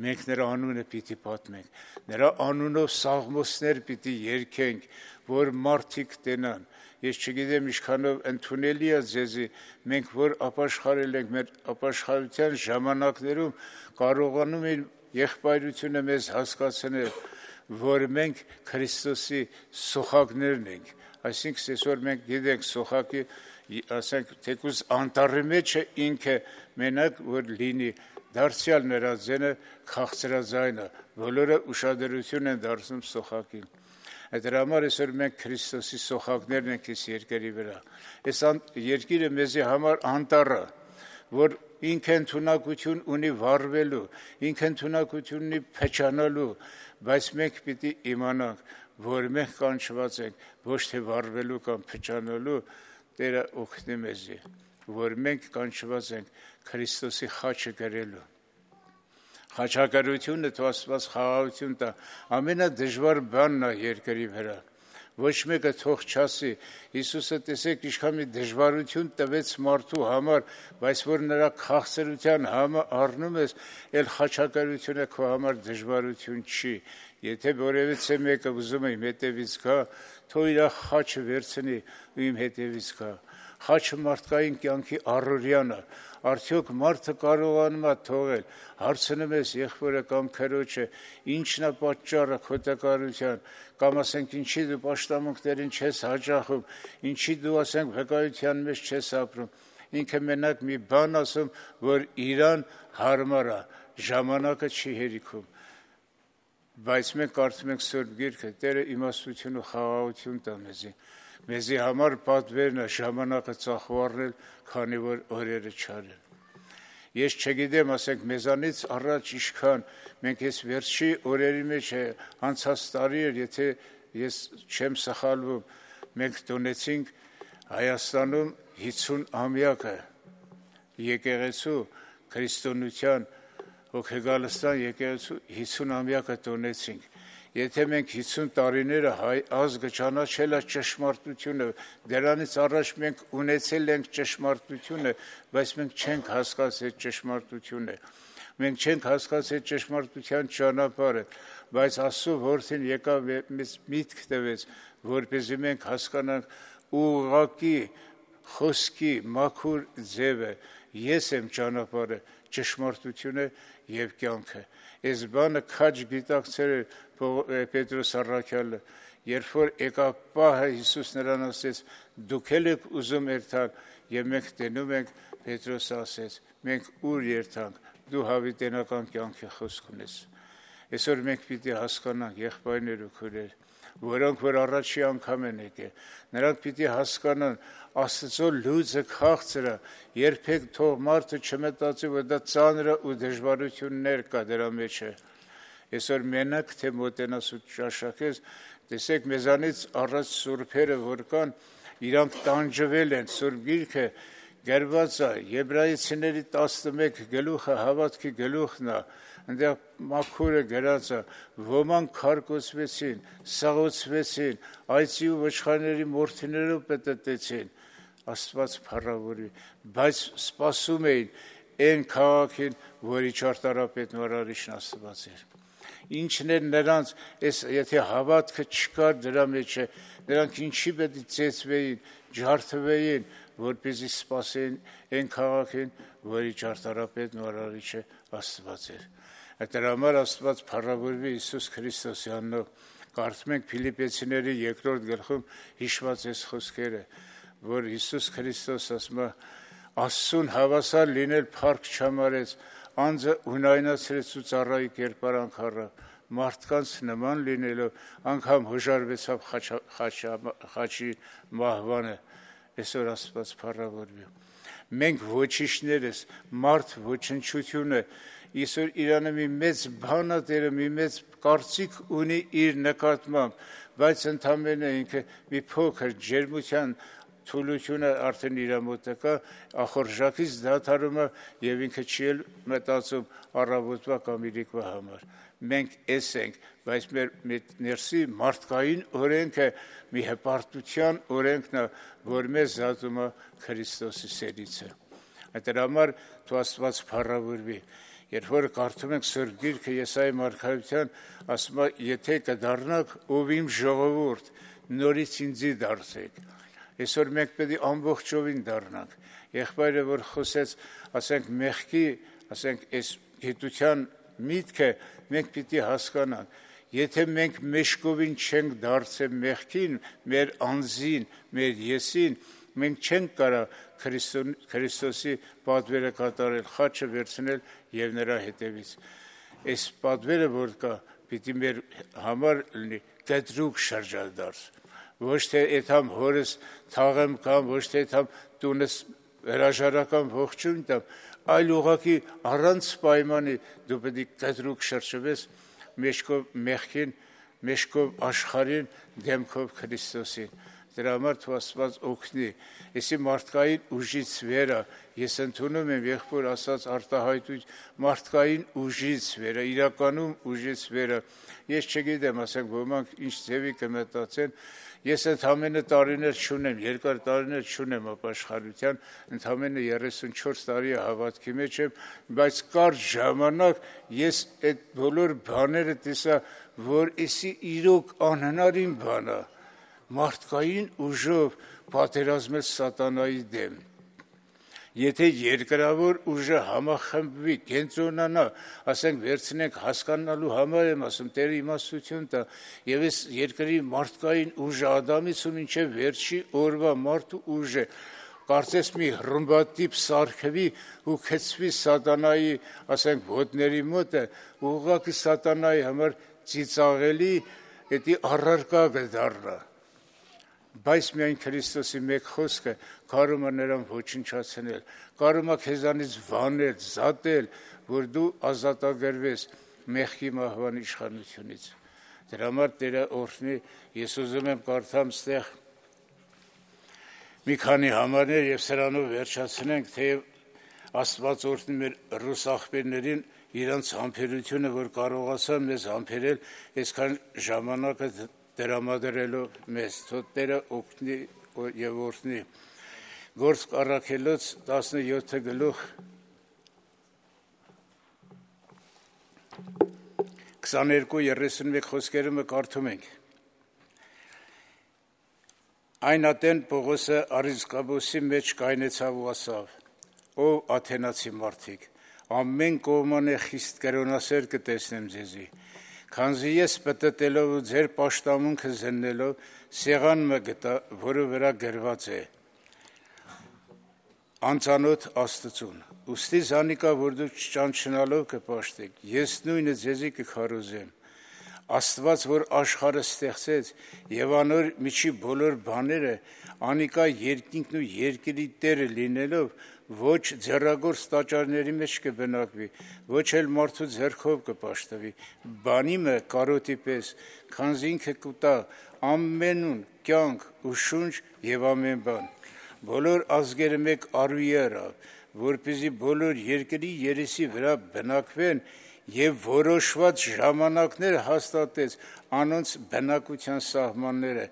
G: մենք նրա անունը պիտի պատմենք, նրա անունով սաղմոսներ պիտի երգենք, որ մարդիկ տենան։ Ես չգիտեմ ինչքանով ընդունելի է ձեզի, մենք որ ապաշխարել ենք մեր ապաշխարության ժամանակներում կարողանում ենք եղբայրությունը մեզ հասկացնել, որ մենք Քրիստոսի սոխակներն ենք, այսինքն այսօր մենք գիտենք սոխակի ասենք թեկուզ անտառի մեջ է ինքը մենակ որ լինի, դարձյալ նրա ձենը քաղցրաձայն է, բոլորը ուշադրություն են դարձնում սոխակին։ Դրա համար այսօր մենք Քրիստոսի սոխակներն ենք այս երկրի վրա։ Այս երկիրը մեզի համար անտառ է, որ ինքը ընդունակություն ունի վառվելու, ինքը ընդունակություն ունի փչանալու, բայց մենք պիտի իմանանք, որ մենք կանչված ենք ոչ թե վառվելու կամ փչանալու, Տերը օգնի մեզի, որ մենք կանչված ենք Քրիստոսի խաչը կրելու։ Խաչակրությունը թող Աստված խաղաղություն տա, ամենադժվար բանն է երկրի վրա։ Ոչ մեկը թող չասի, Հիսուսը տեսեք ինչքան մի դժվարություն տվեց մարդու համար, բայց որ նրա քաղցրության համը առնում ես, էլ խաչակրությունը քո համար դժվարություն չի։ Եթե որևիցե մեկը ուզում է իմ հետևից գա, թող իր խաչը վերցնի ու իմ հետևից գա։ Խաչը մարդկային կյանքի առօրյան է, արդյոք մարդը կարողանում է թողել, հարցնում ես եղբորը կամ քրոջը, ինչն է պատճառը քո տկարության, կամ ասենք ինչի դու պաշտամունքներին չես հաճախում, ինչի դու ասենք վկայության մեջ չես ապրում, ինքը մենակ մի բան ասում, որ իրան հարմար է, ժամանակը չի հերիքում։ Բայց մենք կարդում ենք Սուրբ Գիրքը, Տերը իմաստություն ու խաղաղություն տա մեզի։ Մեզի համար պատվերն է ժամանակը ծախու առնել, քանի որ օրերը չար են։ Ես չգիտեմ, ասենք մեզանից առաջ ինչքան մենք այս վերջի օրերի մեջ է անցած տարի էր, եթե ես չեմ սխալվում, մենք տոնեցինք Հայաստանում հիսուն ամյակը եկեղեցու քրիստոնեության Հոգեգալստան եկեղեցու հիսուն ամյակը տոնեցինք։ Եթե մենք հիսուն տարիները հայ ազգը ճանաչել է ճշմարտությունը, դրանից առաջ մենք ունեցել ենք ճշմարտությունը, բայց մենք չենք հասկացել ճշմարտությունը, Մենք չենք հասկացել ճշմարտության ճանապարհը, բայց Աստծո որդին եկավ մեզ միտք տվեց, որպեսզի մենք հասկանանք ուղղակի խոսքի մաքուր ձևը, ես եմ ճանապարհը, ճշմարտությունը եւ կյանքը։ Այս բանը քաջ գիտակցել է Պետրոս առաքյալը, երբ որ եկավ պահը Հիսուս նրան ասեց. դուք եք ուզում երթալ, եւ մենք տենում ենք, Պետրոս ասեց. մենք ուր երթանք, դու հավիտենական կյանքի խոսք ունես։ Այսօր մենք պիտի հասկանանք, եղբայրներ ու քույրեր, որոնք որ առաջի անգամ են եկել, նրանք պիտի հասկանան Աստծո լույսը քաղցր է, երբեք թող մարդը չմտածի, որ դա ծանր ու դժվարություններ կա դրա մեջ։ Այսօր մենակ թե մոտենաս ու ճաշակես, տեսեք մեզանից առաջ սուրբերը որ կան, իրանք տանջվել են, սուրբ գիրքը գրված է, Եբրայեցիների տասնմեկ գլուխը հավատքի գլուխն է, այնտեղ մաքուրը գրած է, ոմանք քարկոծվեցին, սաղոցվեցին, այծի ու ոչխարների մորթիներով պտտեցին, Աստված փառավորի, բայց սպասում էին այն քաղաքին, որի ճարտարապետն ու արարիչն Աստված էր։ Ինչն է նրանց, այս եթե հավատքը չկար դրա մեջ, նրանք ինչի պետք է ծեծվեին, ջարդվեին, որպեսզի սպասեին այն քաղաքին, որի ճարտարապետն ու արարիչը Աստված էր։ Դրա համար Աստված փառավորվի Հիսուս Քրիստոսի անունով։ Կարդում ենք Փիլիպպեցիների երկրորդ գլխում հիշված այս խոսքերը, որ Հիսուս Քրիստոս ասում է. Աստծուն հավասար լինել փառք չհամարեց, անձը ունայնացրեց ու ծառայի կերպարանք առավ, մարդկանց նման լինելով անգամ հոժարվեցավ խաչի մահվանը։ Այսօր Աստված փառավորվի։ Մենք ոչիշներս, մարդ ոչնչությունը, այսօր Իրանը մի մեծ բան է տերը, մի մեծ կարծիք ունի իր նկատմամբ, բայց ընդամենը ինքը մի փոքր ջերմության թուլությունը արդեն իր մոտ կա, ախորժակից դադարում է եւ ինքը չի էլ մտածում առավոտվա կամ իրիկվա համար։ Մենք էս ենք, բայց մեր ներսի մարդկային օրենքը մի հպարտության օրենքն է, որ մեզ զատում է Քրիստոսի սերիցը։ Դրա համար թող Աստված փառավորվի։ Երբ որ կարդում ենք Սուրբ Գիրքը Եսայի մարգարեության, ասում է, եթե կդառնաք ով իմ ժողովուրդ, նորից ինձի դարձեք։ Այսօր մենք պետք է ամբողջովին դառնանք։ Եղբայրը որ խոսեց, ասենք մեղքի, ասենք այս գիտության միտքը մենք պիտի հասկանանք։ Եթե մենք մեջկովին չենք դարձել մեղքին, մեր անձին, մեր եսին, մենք չենք կարա Քրիստոսի պատվերը կատարել, խաչը վերցնել եւ նրա հետևից։ Այս պատվերը որ կա, պիտի մեր համար լինի կտրուկ շրջադարձ։ Ոչ թե այդամ հորս թաղեմ կամ ոչ թե այդամ տունս հրաժարական ողջույն տամ, այլ ուղղակի առանց պայմանի դու պետք է կտրուկ շրջվես մեջքով մեղքին, մեջքով աշխարհին, դեմքով Քրիստոսին։ Դրա համար թող Աստված օգնի։ Այսի մարդկային ուժից վերը, ես ընդունում եմ եղբոր ասած արտահայտույթ, մարդկային ուժից վերը, իրականում ուժից վերը։ Ես չգիտեմ, ասենք ոմանք ինչ ձևի կմտածեն, ես ընդամենը տարիներ չունեմ, երկար տարիներ չունեմ ապաշխարության, ընդամենը երեսունչորս տարի հավատքի մեջ եմ, բայց կարճ ժամանակ ես այդ բոլոր բաները տեսա, որ էսի իրոք անհնարին բան է, մարդկային ուժով պատերազմել սատանայի դեմ։ Եթե երկրավոր ուժը համախմբվի, կենտրոնանա, ասենք վերցնենք հասկանալու համար եմ ասում, Տերը իմաստություն տա, եւ այս երկրի մարդկային ուժը Ադամից ու մինչև վերջի օրվա մարդու ուժը, կարծես մի ռումբատիպ սարքվի ու քցվի սատանայի, ասենք ոտների մոտը, ուղղակի սատանայի համար ծիծաղելի, դա առարկա կդառնա։ Բայց միայն Քրիստոսի մեկ խոսքը կարող է նրան ոչնչացնել, կարող է քեզանից վանել, զատել, որ դու ազատագրվես մեղքի մահվան իշխանությունից։ Դրա համար Տերը օրհնի, ես ուզում եմ կարդամ ստեղ մի քանի համարներ եւ սրանով վերջացնենք, թեև Աստված օրհնի մեր ռուս աղբերներին իրանց համբերությունը, որ կարողացան մեզ համբերել այսքան ժամանակը դրամադրելով մեզ, թող Տերը օգնի եւ օրհնի։ Գործք առաքելոց տասնյոթ գլուխ քսաներկու երեսունմեկ խոսքերը կարդում ենք։ Այն ատեն Պողոսը Արիզկաբոսի մեջ կայնեցավ ու ասավ. «Ով աթենացի մարդիկ, ամեն կողմանը խիստ կրոնասեր կտեսնեմ ձեզի, քանզի ես պտտելով ու ձեր պաշտամունքը զննելով սեղան մը գտա, որը վրա գրված է. անծանոթ Աստծուն, ուստի զանիկա, որ դուք չճանչնալով կպաշտեք, ես նույնը ձեզի կքարոզեմ, Աստված, որ աշխարհը ստեղծեց եւ անոր միջի բոլոր բաները, անիկա երկինքն ու երկրի տերը լինելով, ոչ ձեռագործ տաճարների մեջ կբնակվի, ոչ էլ մարդու ձեռքով կպաշտվի, բանի մը կարոտի պես, քանզի ինքը կուտա ամենուն կյանք ու շունչ եւ ամեն բան, բոլոր ազգերը մեկ արուի արավ, որպեսզի բոլոր երկրի երեսի վրա բնակվեն եւ որոշված ժամանակներ հաստատեց անոնց բնակության սահմանները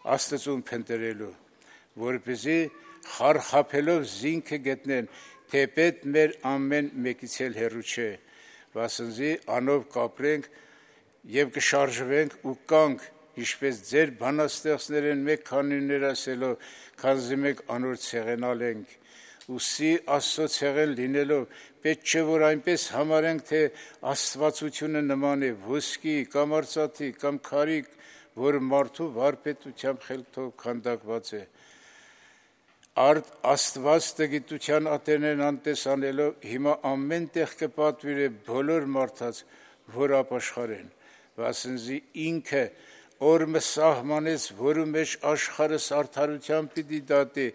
G: Աստծուն փնտրելու, որպեսզի խարխափելով զինքը գտնեն, թեպետ մեր ամեն մեկից էլ հեռու չէ, վասնզի անով կապրենք եւ կշարժվենք ու կանք, ինչպես ձեր բանաստեղծներն մեկ քանիներ ասելով, քանզի մեկ անոր ցեղենալ ենք, ուսի Աստծո ցեղեն լինելով, պետք չէ որ այնպես համարենք, թե Աստվածությունը նման է ոսկի կամ արծաթի կամ քարի, որ մարդու վարպետությամբ խելքով քանդակված է։ Արդ Աստված տգիտության ատենեն անտեսանելով հիմա ամեն տեղ կպատվիրե բոլոր մարդաց, որ ապաշխարեն, վասնզի ինքը օրը սահմանեց, որու մեջ աշխարհս արդարությամբ պիտի դատի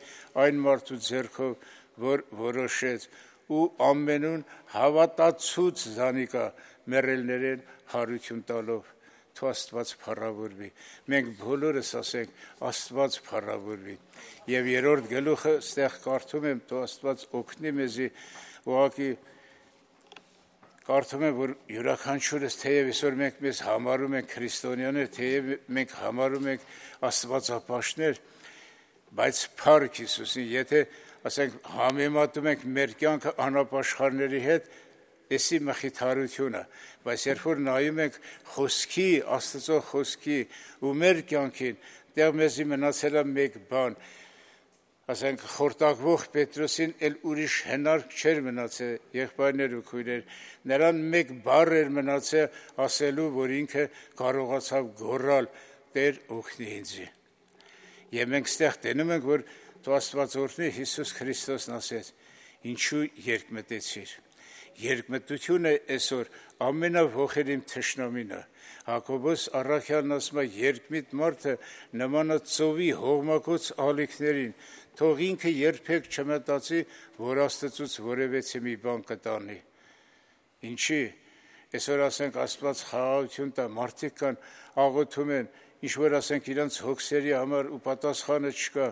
G: այն մարդու ձեռքով, որ որոշեց ու ամենուն հավատացուց զանիկա մեռելներեն հարություն տալով, թո Աստված փառավորվի։ Մենք բոլորս ասենք Աստված փառավորվի։ Եվ երրորդ գլուխը ստեղ կարդում եմ, թո Աստված օգնի մեզի, ուղղակի կարդում եմ, որ յուրաքանչյուրս թեև այսօր մենք մեզ համարում ենք քրիստոնյաներ, թեև մենք համարում ենք աստվածապաշտներ, բայց փառք Հիսուսին, եթե ասենք համեմատում ենք մեր կյանքը անապաշխարների հետ, էսի մխիթարությունը, բայց երբ որ նայում ենք խոսքի, Աստծո խոսքի ու մեր կյանքին, դեռ մեզի մնացել է մեկ բան, ասենք խորտակվող Պետրոսին էլ ուրիշ հնարք չէր մնացել, եղբայրներ ու քույրեր, նրան մեկ բառ էր մնացել ասելու, որ ինքը կարողացավ գոռալ Տեր օգնի ինձի։ Եվ մենք ստեղ տենում ենք, որ թո Աստված օրհնի, Հիսուս Քրիստոսն ասեց, ինչու երկմտեցիր։ Երկմտությունը այսօր ամենավոխերիմ թշնամին է։ Հակոբոս առաքյալն ասում է, երկմիտ մարդը նման է ծովի հողմակոծ ալիքներին, թող ինքը երբեք չմտածի, որ Աստծուց որևէ մի բան կտանի։ Ինչի, այսօր ասենք Աստված խաղաղություն տա, մարդիկ կան աղոթում են, ինչ որ ասենք իրանց հոգսերի համար ու պատասխանը չկա,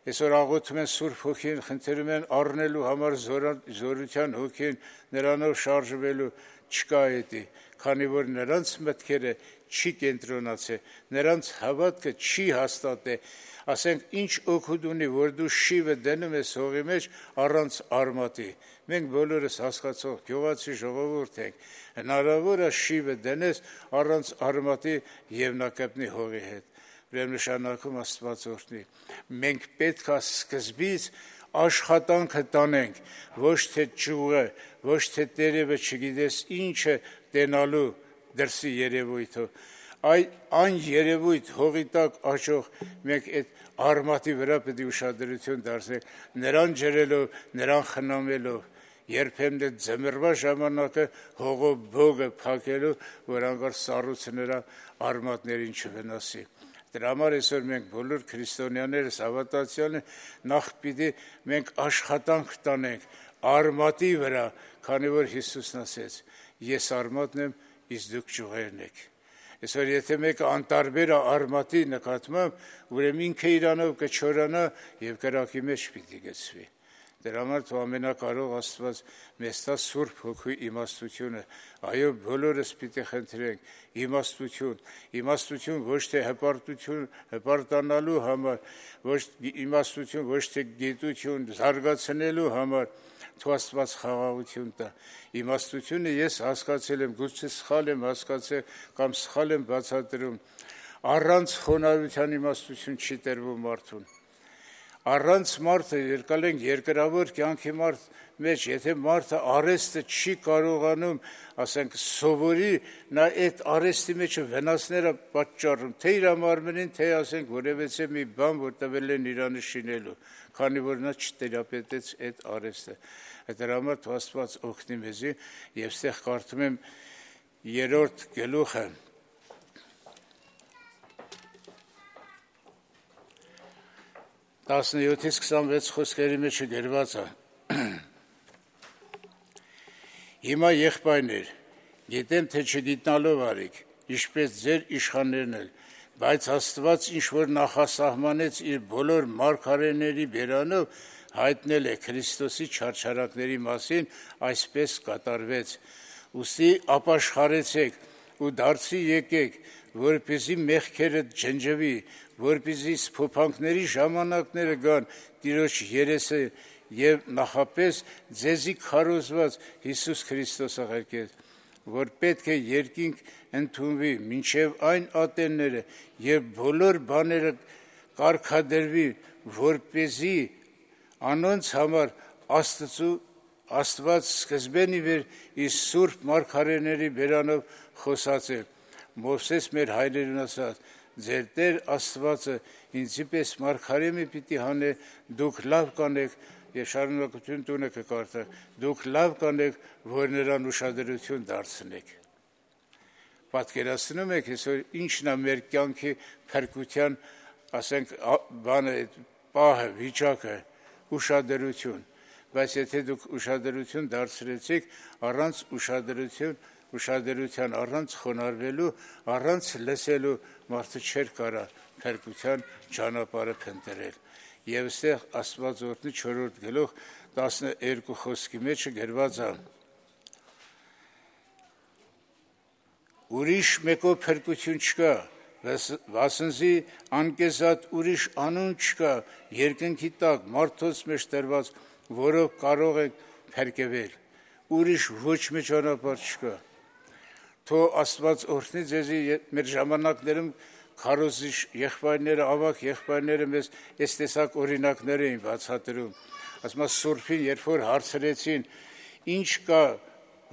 G: այսօր աղոթում են Սուրբ Հոգին, խնդրում են առնելու համար զորության հոգին, նրանով շարժվելու, չկա էդի, քանի որ նրանց մտքերը չի կենտրոնացել, նրանց հավատքը չի հաստատել, ասենք ինչ օգուտ ունի, որ դու շիվը դնում ես հողի մեջ առանց արմատի։ Մենք բոլորս հասկացող գյուղացի ժողովուրդ ենք, հնարավոր է շիվը դնես առանց արմատի եւ նա կպնի հողի հետ։ Ուրեմն նշանակում Աստված օրհնի։ Մենք պետք է սկզբից աշխատանքը տանենք, ոչ թե ճյուղը, ոչ թե տերևը չգիտես ինչը տենալու դրսի երևույթով, այ այն երևույթ հողի տակ աճող մենք այդ արմատի վրա պետք է ուշադրություն դարձնենք, նրան ջրելով, նրան խնամելով, երբեմն այդ ձմեռվա ժամանակը հողով բոգը փակելու, որ անգար սառույցը նրա արմատներին չվնասի։ Դրա համար այսօր մենք բոլոր քրիստոնյաներս հավատացյալն նախ պիտի մենք աշխատանք տանենք արմատի վրա, քանի որ Հիսուսն ասեց. ես արմատն եմ, իսկ դուք ճյուղերն եք։ Այսօր եթե մեկը անտարբեր է արմատի նկատմամբ, ուրեմն ինքը իրանով կչորանա եւ կրակի մեջ պիտի գցվի։ Դրա համար թող ամենակարող Աստված մեզ տա Սուրբ Հոգու իմաստությունը, այո, բոլորս պիտի խնդրենք իմաստություն, իմաստություն ոչ թե հպարտություն, հպարտանալու համար, ոչ իմաստություն ոչ թե գիտություն զարգացնելու համար, թող Աստված խաղաղություն տա։ Իմաստությունը ես հասկացել եմ, գուցե սխալ եմ հասկացել կամ սխալ եմ բացատրում, առանց խոնարհության իմաստություն չի տրվում մարդուն։ Առանց մարդը երկալենք երկրավոր կյանքի մարդ մեջ, եթե մարդը արեստը չի կարողանում, ասենք, սովորի, նա այդ արեստի մեջ վնասները պատճառում, թե իր մարմնին, թե ասենք որևէ մի բան, որ տվել են իրանը շինելու, քանի որ նա չտերապետեց այդ արեստը։ Դրա համար թող Աստված օգնի մեզի, եւ ստեղ կարդում եմ երրորդ գլուխը տասնյոթից քսանվեց խոսքերի մեջ գրված է. Հիմա եղբայրներ, գիտեմ թե չգիտնալով արիք, ինչպես ձեր իշխաններն էլ, բայց Աստված ինչ որ նախասահմանեց իր բոլոր մարգարեների բերանով հայտնել է Քրիստոսի չարչարակների մասին, այսպես կատարվեց։ Ուստի ապաշխարեցեք ու դարձի եկեք, որպեսզի մեղքերը ջնջվի, որպեսզի սփոփանքների ժամանակները գան Տիրոջ երեսը եւ նախապես ձեզի քարոզված Հիսուս Քրիստոսը ղեկեց, որ պետք է երկինք ընդունվի մինչև այն ատենները եւ բոլոր բաները կարգադրվի, որպեսզի անոնց համար Աստծու Աստված սկզբեն ի վեր իր սուրբ մարգարեների բերանով խոսած է։ Մովսես մեր հայրերին ասաց. ձեր Տեր Աստվածը ինձի պես մարգարե մի պիտի հանե, դուք լավ կանեք, եւ շարունակություն տունը կկարդակ, դուք լավ կանեք, որ նրան ուշադրություն դարձնեք։ Պատկերացնում եք, այսօր ինչն է մեր կյանքի փրկության, ասենք, բանը, պահը, վիճակը, ուշադրություն, բայց եթե դուք ուշադրություն դարձրեցիք, առանց ուշադրություն, ուշադրության առանց խոնարհվելու, առանց լսելու մարդը չէր կարա փրկության ճանապարհը փնտրել։ Եվ այստեղ Աստված օրհնի չորրորդ գլուխ տասներկու խոսքի մեջ գրված է. Ուրիշ մեկով փրկություն չկա, վասնզի անկեզատ ուրիշ անուն չկա երկնքի տակ մարդոց մեջ տրված, որով կարող եք փրկվել։ Ուրիշ ոչ մի ճանապարհ չկա։ Թող Աստված օրհնի ձեզի մեր ժամանակներում քարոզիչ եղբայրները, ավակ եղբայրները մեզ այս տեսակ օրինակներ էին բացատրում։ Ասում եմ Սուրբին, երբ որ հարցրեցին, ինչ կա,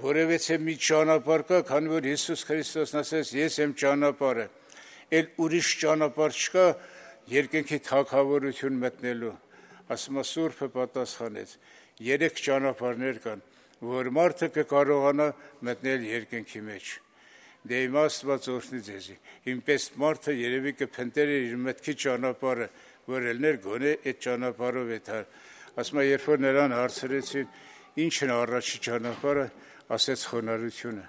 G: որևէ մի ճանապարհ կա, քանի որ Հիսուս Քրիստոսն ասեց, ես եմ ճանապարհը, այլ ուրիշ ճանապարհ չկա երկնքի թագավորություն մտնելու։ Ասում եմ Սուրբը պատասխանեց, երեք ճանապարհներ կան, որ մարդը կկարողանա մտնել երկնքի մեջ։ Դե հիմա Աստված օրհնի ձեզի։ Ինպես մարդը երևի կփնտրեր իր մտքի ճանապարհը, որ ելներ գոնե այդ ճանապարհով էթար։ Ասում եմ, երբ որ նրան հարցրեցին, ի՞նչն է առաջի ճանապարհը, ասեց խոնարհությունը։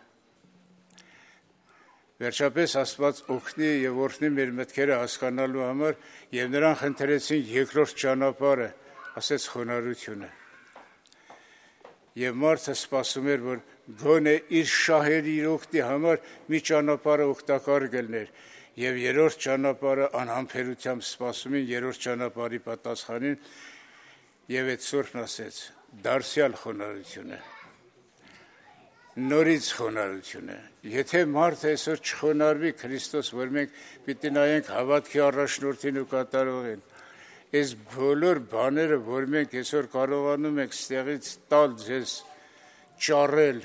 G: Վերջապես Աստված օգնի եւ օրհնի մեր մտքերը հասկանալու համար, եւ նրան խնդրեցին երկրորդ ճանապարհը, ասեց խոնարհությունը։ Եվ մարդը սպասում էր, որ գոնե իր շահերի իր օգտի համար մի ճանապարհը օգտակար գլներ, եւ երրորդ ճանապարհը անհամբերությամբ սպասում են երրորդ ճանապարհի պատասխանին, եւ այդ Սուրբն ասեց. դարձյալ խոնարհությունը, նորից խոնարհությունը։ Եթե մարդը այսօր չխոնարհվի Քրիստոս, որ մենք պիտի նայենք հավատքի առաջնորդին ու կատարողին, այս բոլոր բաները, որ մենք այսօր կարողանում ենք ստեղից տալ ձեզ, ճառել,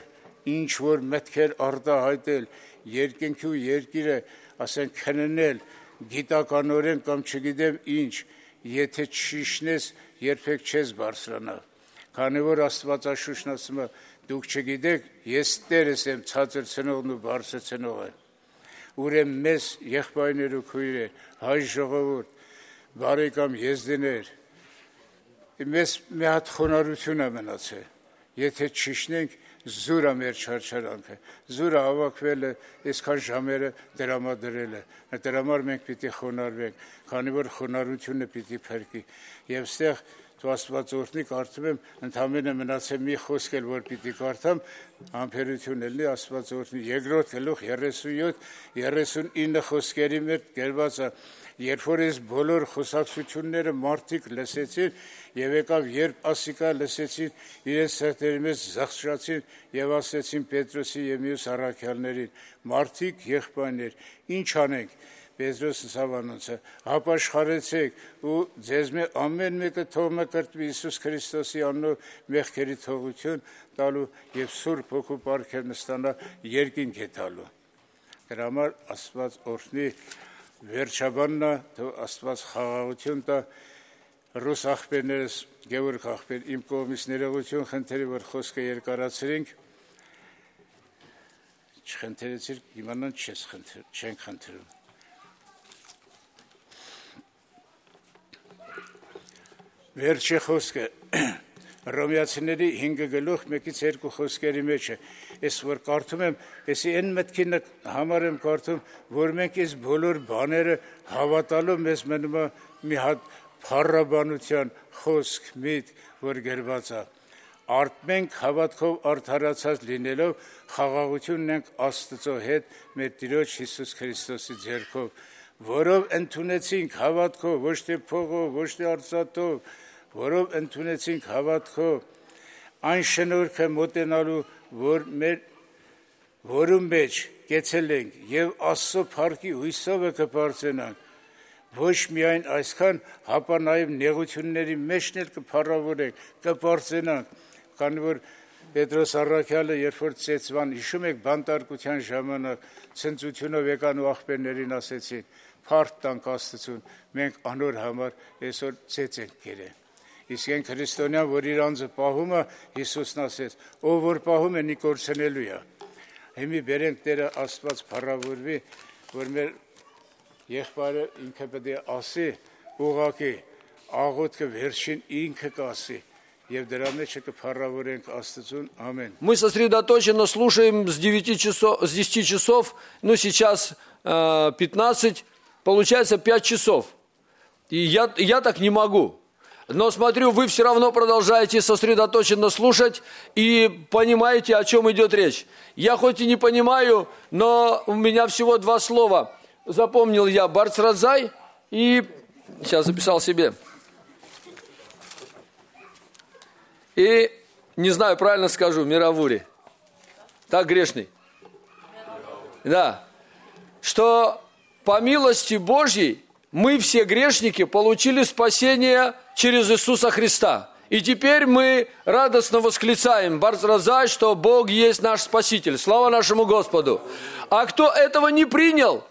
G: ինչ որ մտքեր արտահայտել, երկնքի ու երկիրը, ասենք, քննել, գիտականորեն կամ չգիտեմ ինչ, եթե չիշնես, երբեք չես բարձրանա։ Քանի որ Աստվածաշունչն ասում է, դուք չգիտեք, ես Տերս եմ ցածր ցնողն ու բարձր ցնողը։ Ուրեմն մեզ եղբայրներ ու քույրեր, հայ ժողովուրդ, բարեկամ եզդիներ, մեզ մի հատ խոնարհություն է մնացել, եթե չիշնենք, զուր է մեր չարչարանքը, զուր է հավաքվել է, այսքան ժամերը դրամադրել է, դրա համար մենք պիտի խոնարհվենք, քանի որ խոնարհությունը պիտի փրկի, եւ ստեղ Դու Աստված օրհնի, կարդում եմ, ընդամենը մնացել մի խոսք էլ որ պիտի կարդամ, համբերություն ելնի Աստված օրհնի։ Երկրորդ գլուխ երեսունյոթ երեսունինը խոսքերի մեջ գրված է. երբ որ այս բոլոր խոսակցությունները մարդիկ լսեցին եւ եկավ երբ ասիկա լսեցին, իրենց սրտերի մեջ զղջացին եւ ասեցին Պետրոսի եւ մյուս առաքյալներին. մարդիկ, եղբայրներ, ինչ անենք։ Պետրոսը սավանոցը հապաշխարեցեք ու ձեզ մե ամեն մեկը թող մկրտվի Հիսուս Քրիստոսի անունով մեղքերի թողություն տալու եւ Սուրբ Հոգու պարգև նստանա երկինք է տալու։ Դրա համար Աստված օրհնի վերջաբաննա, թող Աստված խաղաղություն տա ռուս աղբերներս, Գևորգ աղբեր, իմ կողմից ներողություն խնդրի, որ խոսքը երկարացրենք, չխնդրեցիր, իմանան չես խնդրում, չենք խնդրում։ Վերջի խոսքը Հռոմեացիների հինգ գլուխ մեկից երկու խոսքերի մեջ է։ Ես որ կարդում եմ, եսի այն մտքին համար եմ կարդում, որ մենք այս բոլոր բաները հավատալու մեզ մնում է մի հատ փառաբանության խոսք, միտք, որ գրված է։ Արդ մենք հավատքով արդարացած լինելով խաղաղություն ունենք Աստծո հետ մեր Տիրոջ Հիսուս Քրիստոսի ձեռքով, որով ընդունեցինք հավատքով, ոչ թե փողով, ոչ թե արծաթով, որով ընդունեցինք հավատքով այն շնորհքը մոտենալու, որ մեր որում մեջ կեցել ենք եւ Աստծո փառքի հույսով կբարձրանանք, ոչ միայն այսքան, հապա նաեւ նեղությունների մեջն էլ կփառավորենք, կբարձրանանք, քանի որ Պետրոս առաքյալը երբ որ ծեծվան, հիշում եք բանտարկության ժամանակ ցնծությունով եկան ու աղբերներին ասեցին. «Փառք տանք Աստծուն, մենք անոր համար այսօր ծեծ ենք կերել»։ Իսկ այն քրիստոնյան, որ իր անձը պահում է, Հիսուսն ասեց, ով որ պահում է, նի կորցնելու է։ Հիմի բերենք Տերը Աստված փառավորվի, որ մեր եղբայրը ինքը պետք է ասի, ուղղակի աղոթքը վերջին ինքը կասի, եւ դրա մեջ կփառավորենք Աստծուն, ամեն։
H: Мы сосредоточенно слушаем с девяти часов, с десяти часов, ну сейчас э, пятнадцать, получается пять часов. И я, я так не могу. Но смотрю, вы все равно продолжаете сосредоточенно слушать и понимаете, о чем идет речь. Я хоть и не понимаю, но у меня всего два слова. Запомнил я Барцразай и... Сейчас записал себе. И, не знаю, правильно скажу, Миравури. Так, грешный? Да. Что по милости Божьей мы все грешники получили спасение через Иисуса Христа. И теперь мы радостно восклицаем, Барцразай, что Бог есть наш Спаситель. Слава нашему Господу. А кто этого не принял,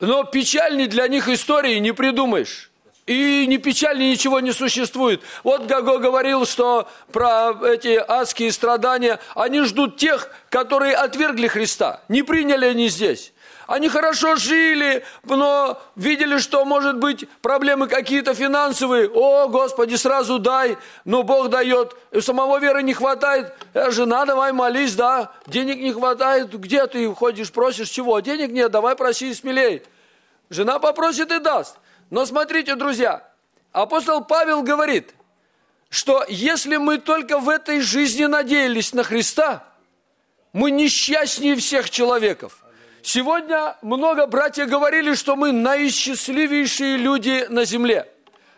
H: но печальней для них истории не придумаешь. И не печальнее ничего не существует. Вот Гаго говорил, что про эти адские страдания, они ждут тех, которые отвергли Христа. Не приняли они здесь. Они хорошо жили, но видели, что, может быть, проблемы какие-то финансовые. О, Господи, сразу дай. Но Бог дает. И самого веры не хватает. Жена, давай молись, да. Денег не хватает. Где ты ходишь, просишь чего? Денег нет, давай проси смелей. Жена попросит и даст. Но смотрите, друзья, апостол Павел говорит, что если мы только в этой жизни надеялись на Христа, мы несчастнее всех человеков. Сегодня много братьев говорили, что мы наисчастливейшие люди на земле.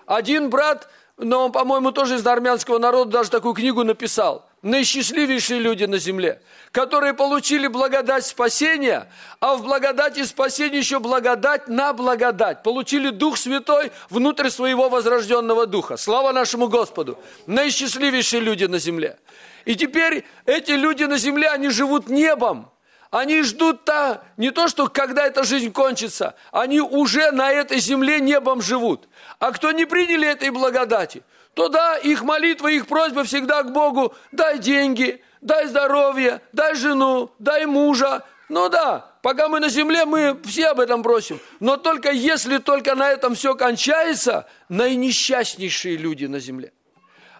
H: Один брат, но он, по-моему, тоже из армянского народа, даже такую книгу написал. Наисчастливейшие люди на земле, которые получили благодать спасения, а в благодати спасения еще благодать на благодать. Получили Дух Святой внутрь своего возрожденного Духа. Слава нашему Господу. Наисчастливейшие люди на земле. И теперь эти люди на земле, они живут небом. Они ждут-то не то, что когда эта жизнь кончится, они уже на этой земле небом живут. А кто не приняли этой благодати, то да, их молитва, их просьба всегда к Богу: дай деньги, дай здоровье, дай жену, дай мужа. Ну да, пока мы на земле, мы все об этом просим. Но только если только на этом все кончается, наинесчастнейшие люди на земле.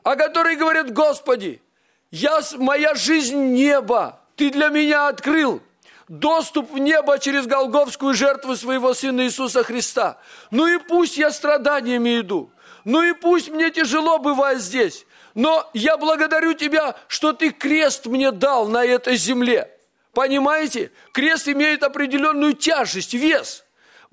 H: А которые говорят: Господи, я, моя жизнь небо, Ты для меня открыл доступ в небо через голгофскую жертву своего Сына Иисуса Христа. Ну и пусть я страданиями иду. Ну и пусть мне тяжело бывает здесь, но я благодарю Тебя, что Ты крест мне дал на этой земле. Понимаете? Крест имеет определенную тяжесть, вес.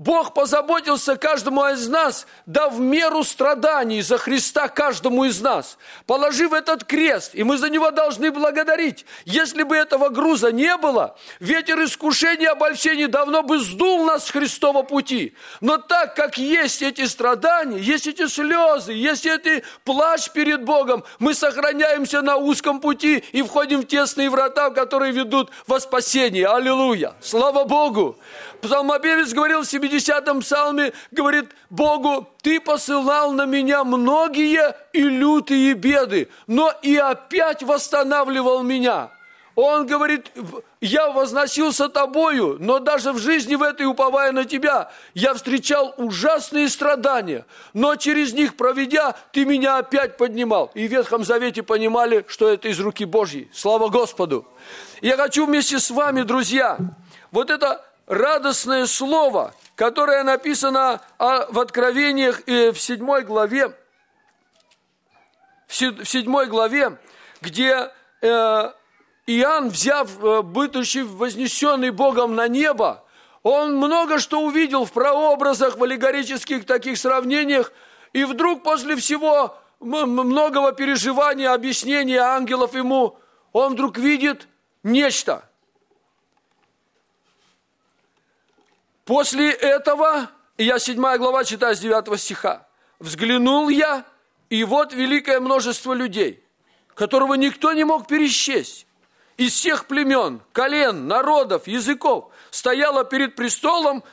H: Бог позаботился каждому из нас, дав в меру страданий за Христа каждому из нас, положив этот крест, и мы за него должны благодарить. Если бы этого груза не было, ветер искушений и обольщений давно бы сдул нас с Христова пути. Но так как есть эти страдания, есть эти слезы, есть эти плач перед Богом, мы сохраняемся на узком пути и входим в тесные врата, которые ведут во спасение. Аллилуйя! Слава Богу! Псалмопевец говорил в семидесятом псалме, говорит Богу: Ты посылал на меня многие и лютые беды, но и опять восстанавливал меня. Он говорит: я возносился Тобою, но даже в жизни в этой, уповая на Тебя, я встречал ужасные страдания, но через них проведя, Ты меня опять поднимал. И в Ветхом Завете понимали, что это из руки Божьей. Слава Господу! Я хочу вместе с вами, друзья, вот это радостное слово, которое написано в Откровениях в седьмой главе, в седьмой главе, где Иоанн, взяв, будучи вознесенный Богом на небо, он много что увидел в прообразах, в аллегорических таких сравнениях, и вдруг после всего многого переживания, объяснения ангелов ему, он вдруг видит нечто. После этого, я седьмая глава читаю с девятого стиха, «Взглянул я, и вот великое множество людей, которого никто не мог пересчесть, из всех племен, колен, народов, языков, стояло перед престолом,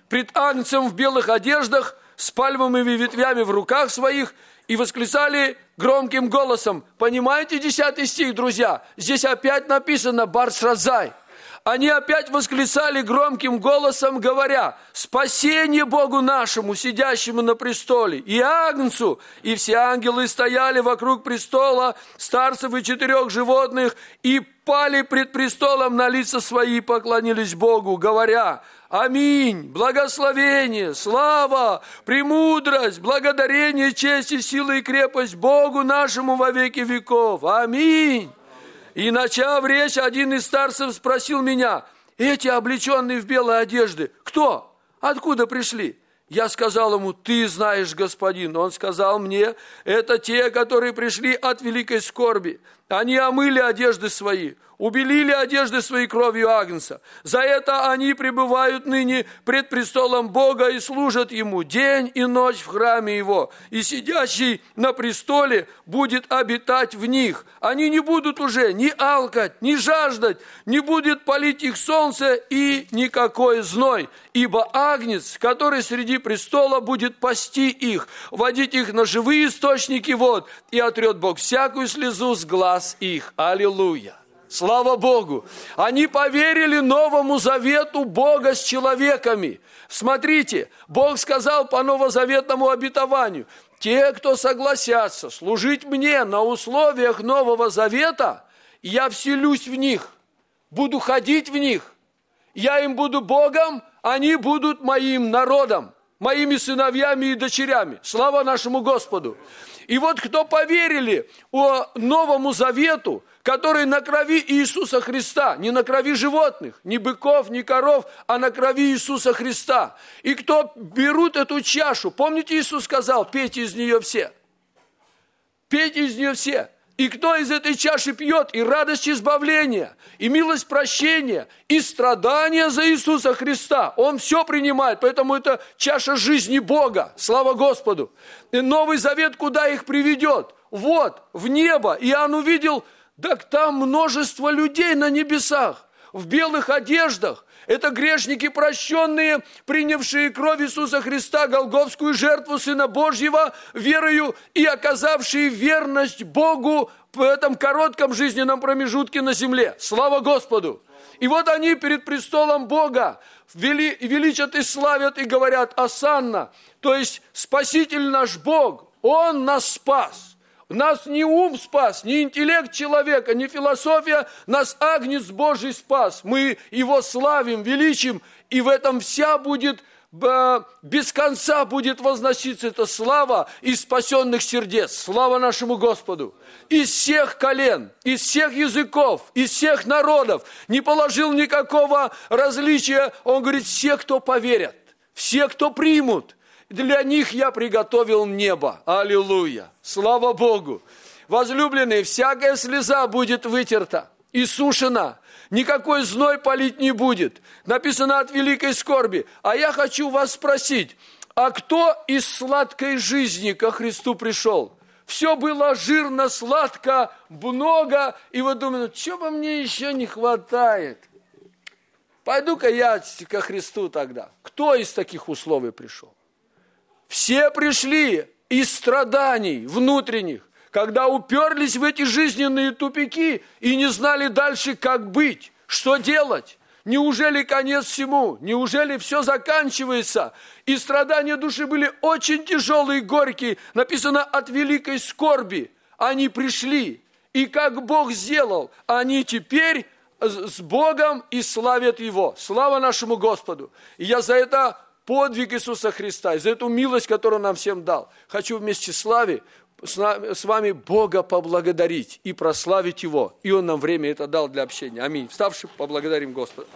H: пред Агнцем в белых одеждах, с пальмовыми ветвями в руках своих, и восклицали громким голосом». Понимаете десятый стих, друзья? Здесь опять написано «Барсразай». Они опять восклицали громким голосом, говоря: «Спасение Богу нашему, сидящему на престоле, и Агнцу!» И все ангелы стояли вокруг престола, старцев и четырех животных, и пали пред престолом на лица свои и поклонились Богу, говоря: «Аминь! Благословение, слава, премудрость, благодарение, честь и сила и крепость Богу нашему во веки веков! Аминь!» И, начав речь, один из старцев спросил меня: «Эти, облеченные в белые одежды, кто? Откуда пришли?» Я сказал ему: «Ты знаешь, господин». Он сказал мне: «Это те, которые пришли от великой скорби. Они омыли одежды свои, убелили одежды своей кровью Агнца. За это они пребывают ныне пред престолом Бога и служат Ему день и ночь в храме Его. И сидящий на престоле будет обитать в них. Они не будут уже ни алкать, ни жаждать, не будет палить их солнце и никакой зной. Ибо Агнец, который среди престола, будет пасти их, водить их на живые источники вод, и отрет Бог всякую слезу с глаз их». Аллилуйя! Слава Богу! Они поверили Новому Завету Бога с человеками. Смотрите, Бог сказал по новозаветному обетованию: те, кто согласятся служить мне на условиях Нового Завета, я вселюсь в них, буду ходить в них, я им буду Богом, они будут моим народом, моими сыновьями и дочерями. Слава нашему Господу! И вот кто поверили о Новому Завету, который на крови Иисуса Христа, не на крови животных, ни быков, ни коров, а на крови Иисуса Христа. И кто берут эту чашу, помните, Иисус сказал: пейте из нее все. Пейте из нее все. И кто из этой чаши пьет, и радость избавления, и милость прощения, и страдания за Иисуса Христа, он все принимает. Поэтому это чаша жизни Бога. Слава Господу! И Новый Завет куда их приведет? Вот, в небо. Иоанн увидел, так там множество людей на небесах, в белых одеждах. Это грешники прощенные, принявшие кровь Иисуса Христа, голгофскую жертву Сына Божьего, верою и оказавшие верность Богу в этом коротком жизненном промежутке на земле. Слава Господу! И вот они перед престолом Бога вели, величат и славят и говорят: «Осанна», то есть Спаситель наш Бог, Он нас спас. Нас не ум спас, не интеллект человека, не философия, нас Агнец Божий спас. Мы Его славим, величим, и в этом вся будет без конца будет возноситься эта слава из спасенных сердец. Слава нашему Господу. Из всех колен, из всех языков, из всех народов. Не положил никакого различия. Он говорит, все, кто поверят, все, кто примут, для них я приготовил небо. Аллилуйя. Слава Богу. Возлюбленные, всякая слеза будет вытерта и сушена. Никакой зной палить не будет. Написано от великой скорби. А я хочу вас спросить, а кто из сладкой жизни ко Христу пришел? Все было жирно, сладко, много, и вы думаете, что бы мне еще не хватает? Пойду-ка я ко Христу тогда. Кто из таких условий пришел? Все пришли из страданий внутренних, когда уперлись в эти жизненные тупики и не знали дальше, как быть, что делать. Неужели конец всему? Неужели все заканчивается? И страдания души были очень тяжелые и горькие. Написано от великой скорби. Они пришли. И как Бог сделал, они теперь с Богом и славят Его. Слава нашему Господу. И я за это подвиг Иисуса Христа, и за эту милость, которую Он нам всем дал, хочу вместе с славой с вами Бога поблагодарить и прославить Его. И Он нам время это дал для общения. Аминь. Вставши, поблагодарим Господа.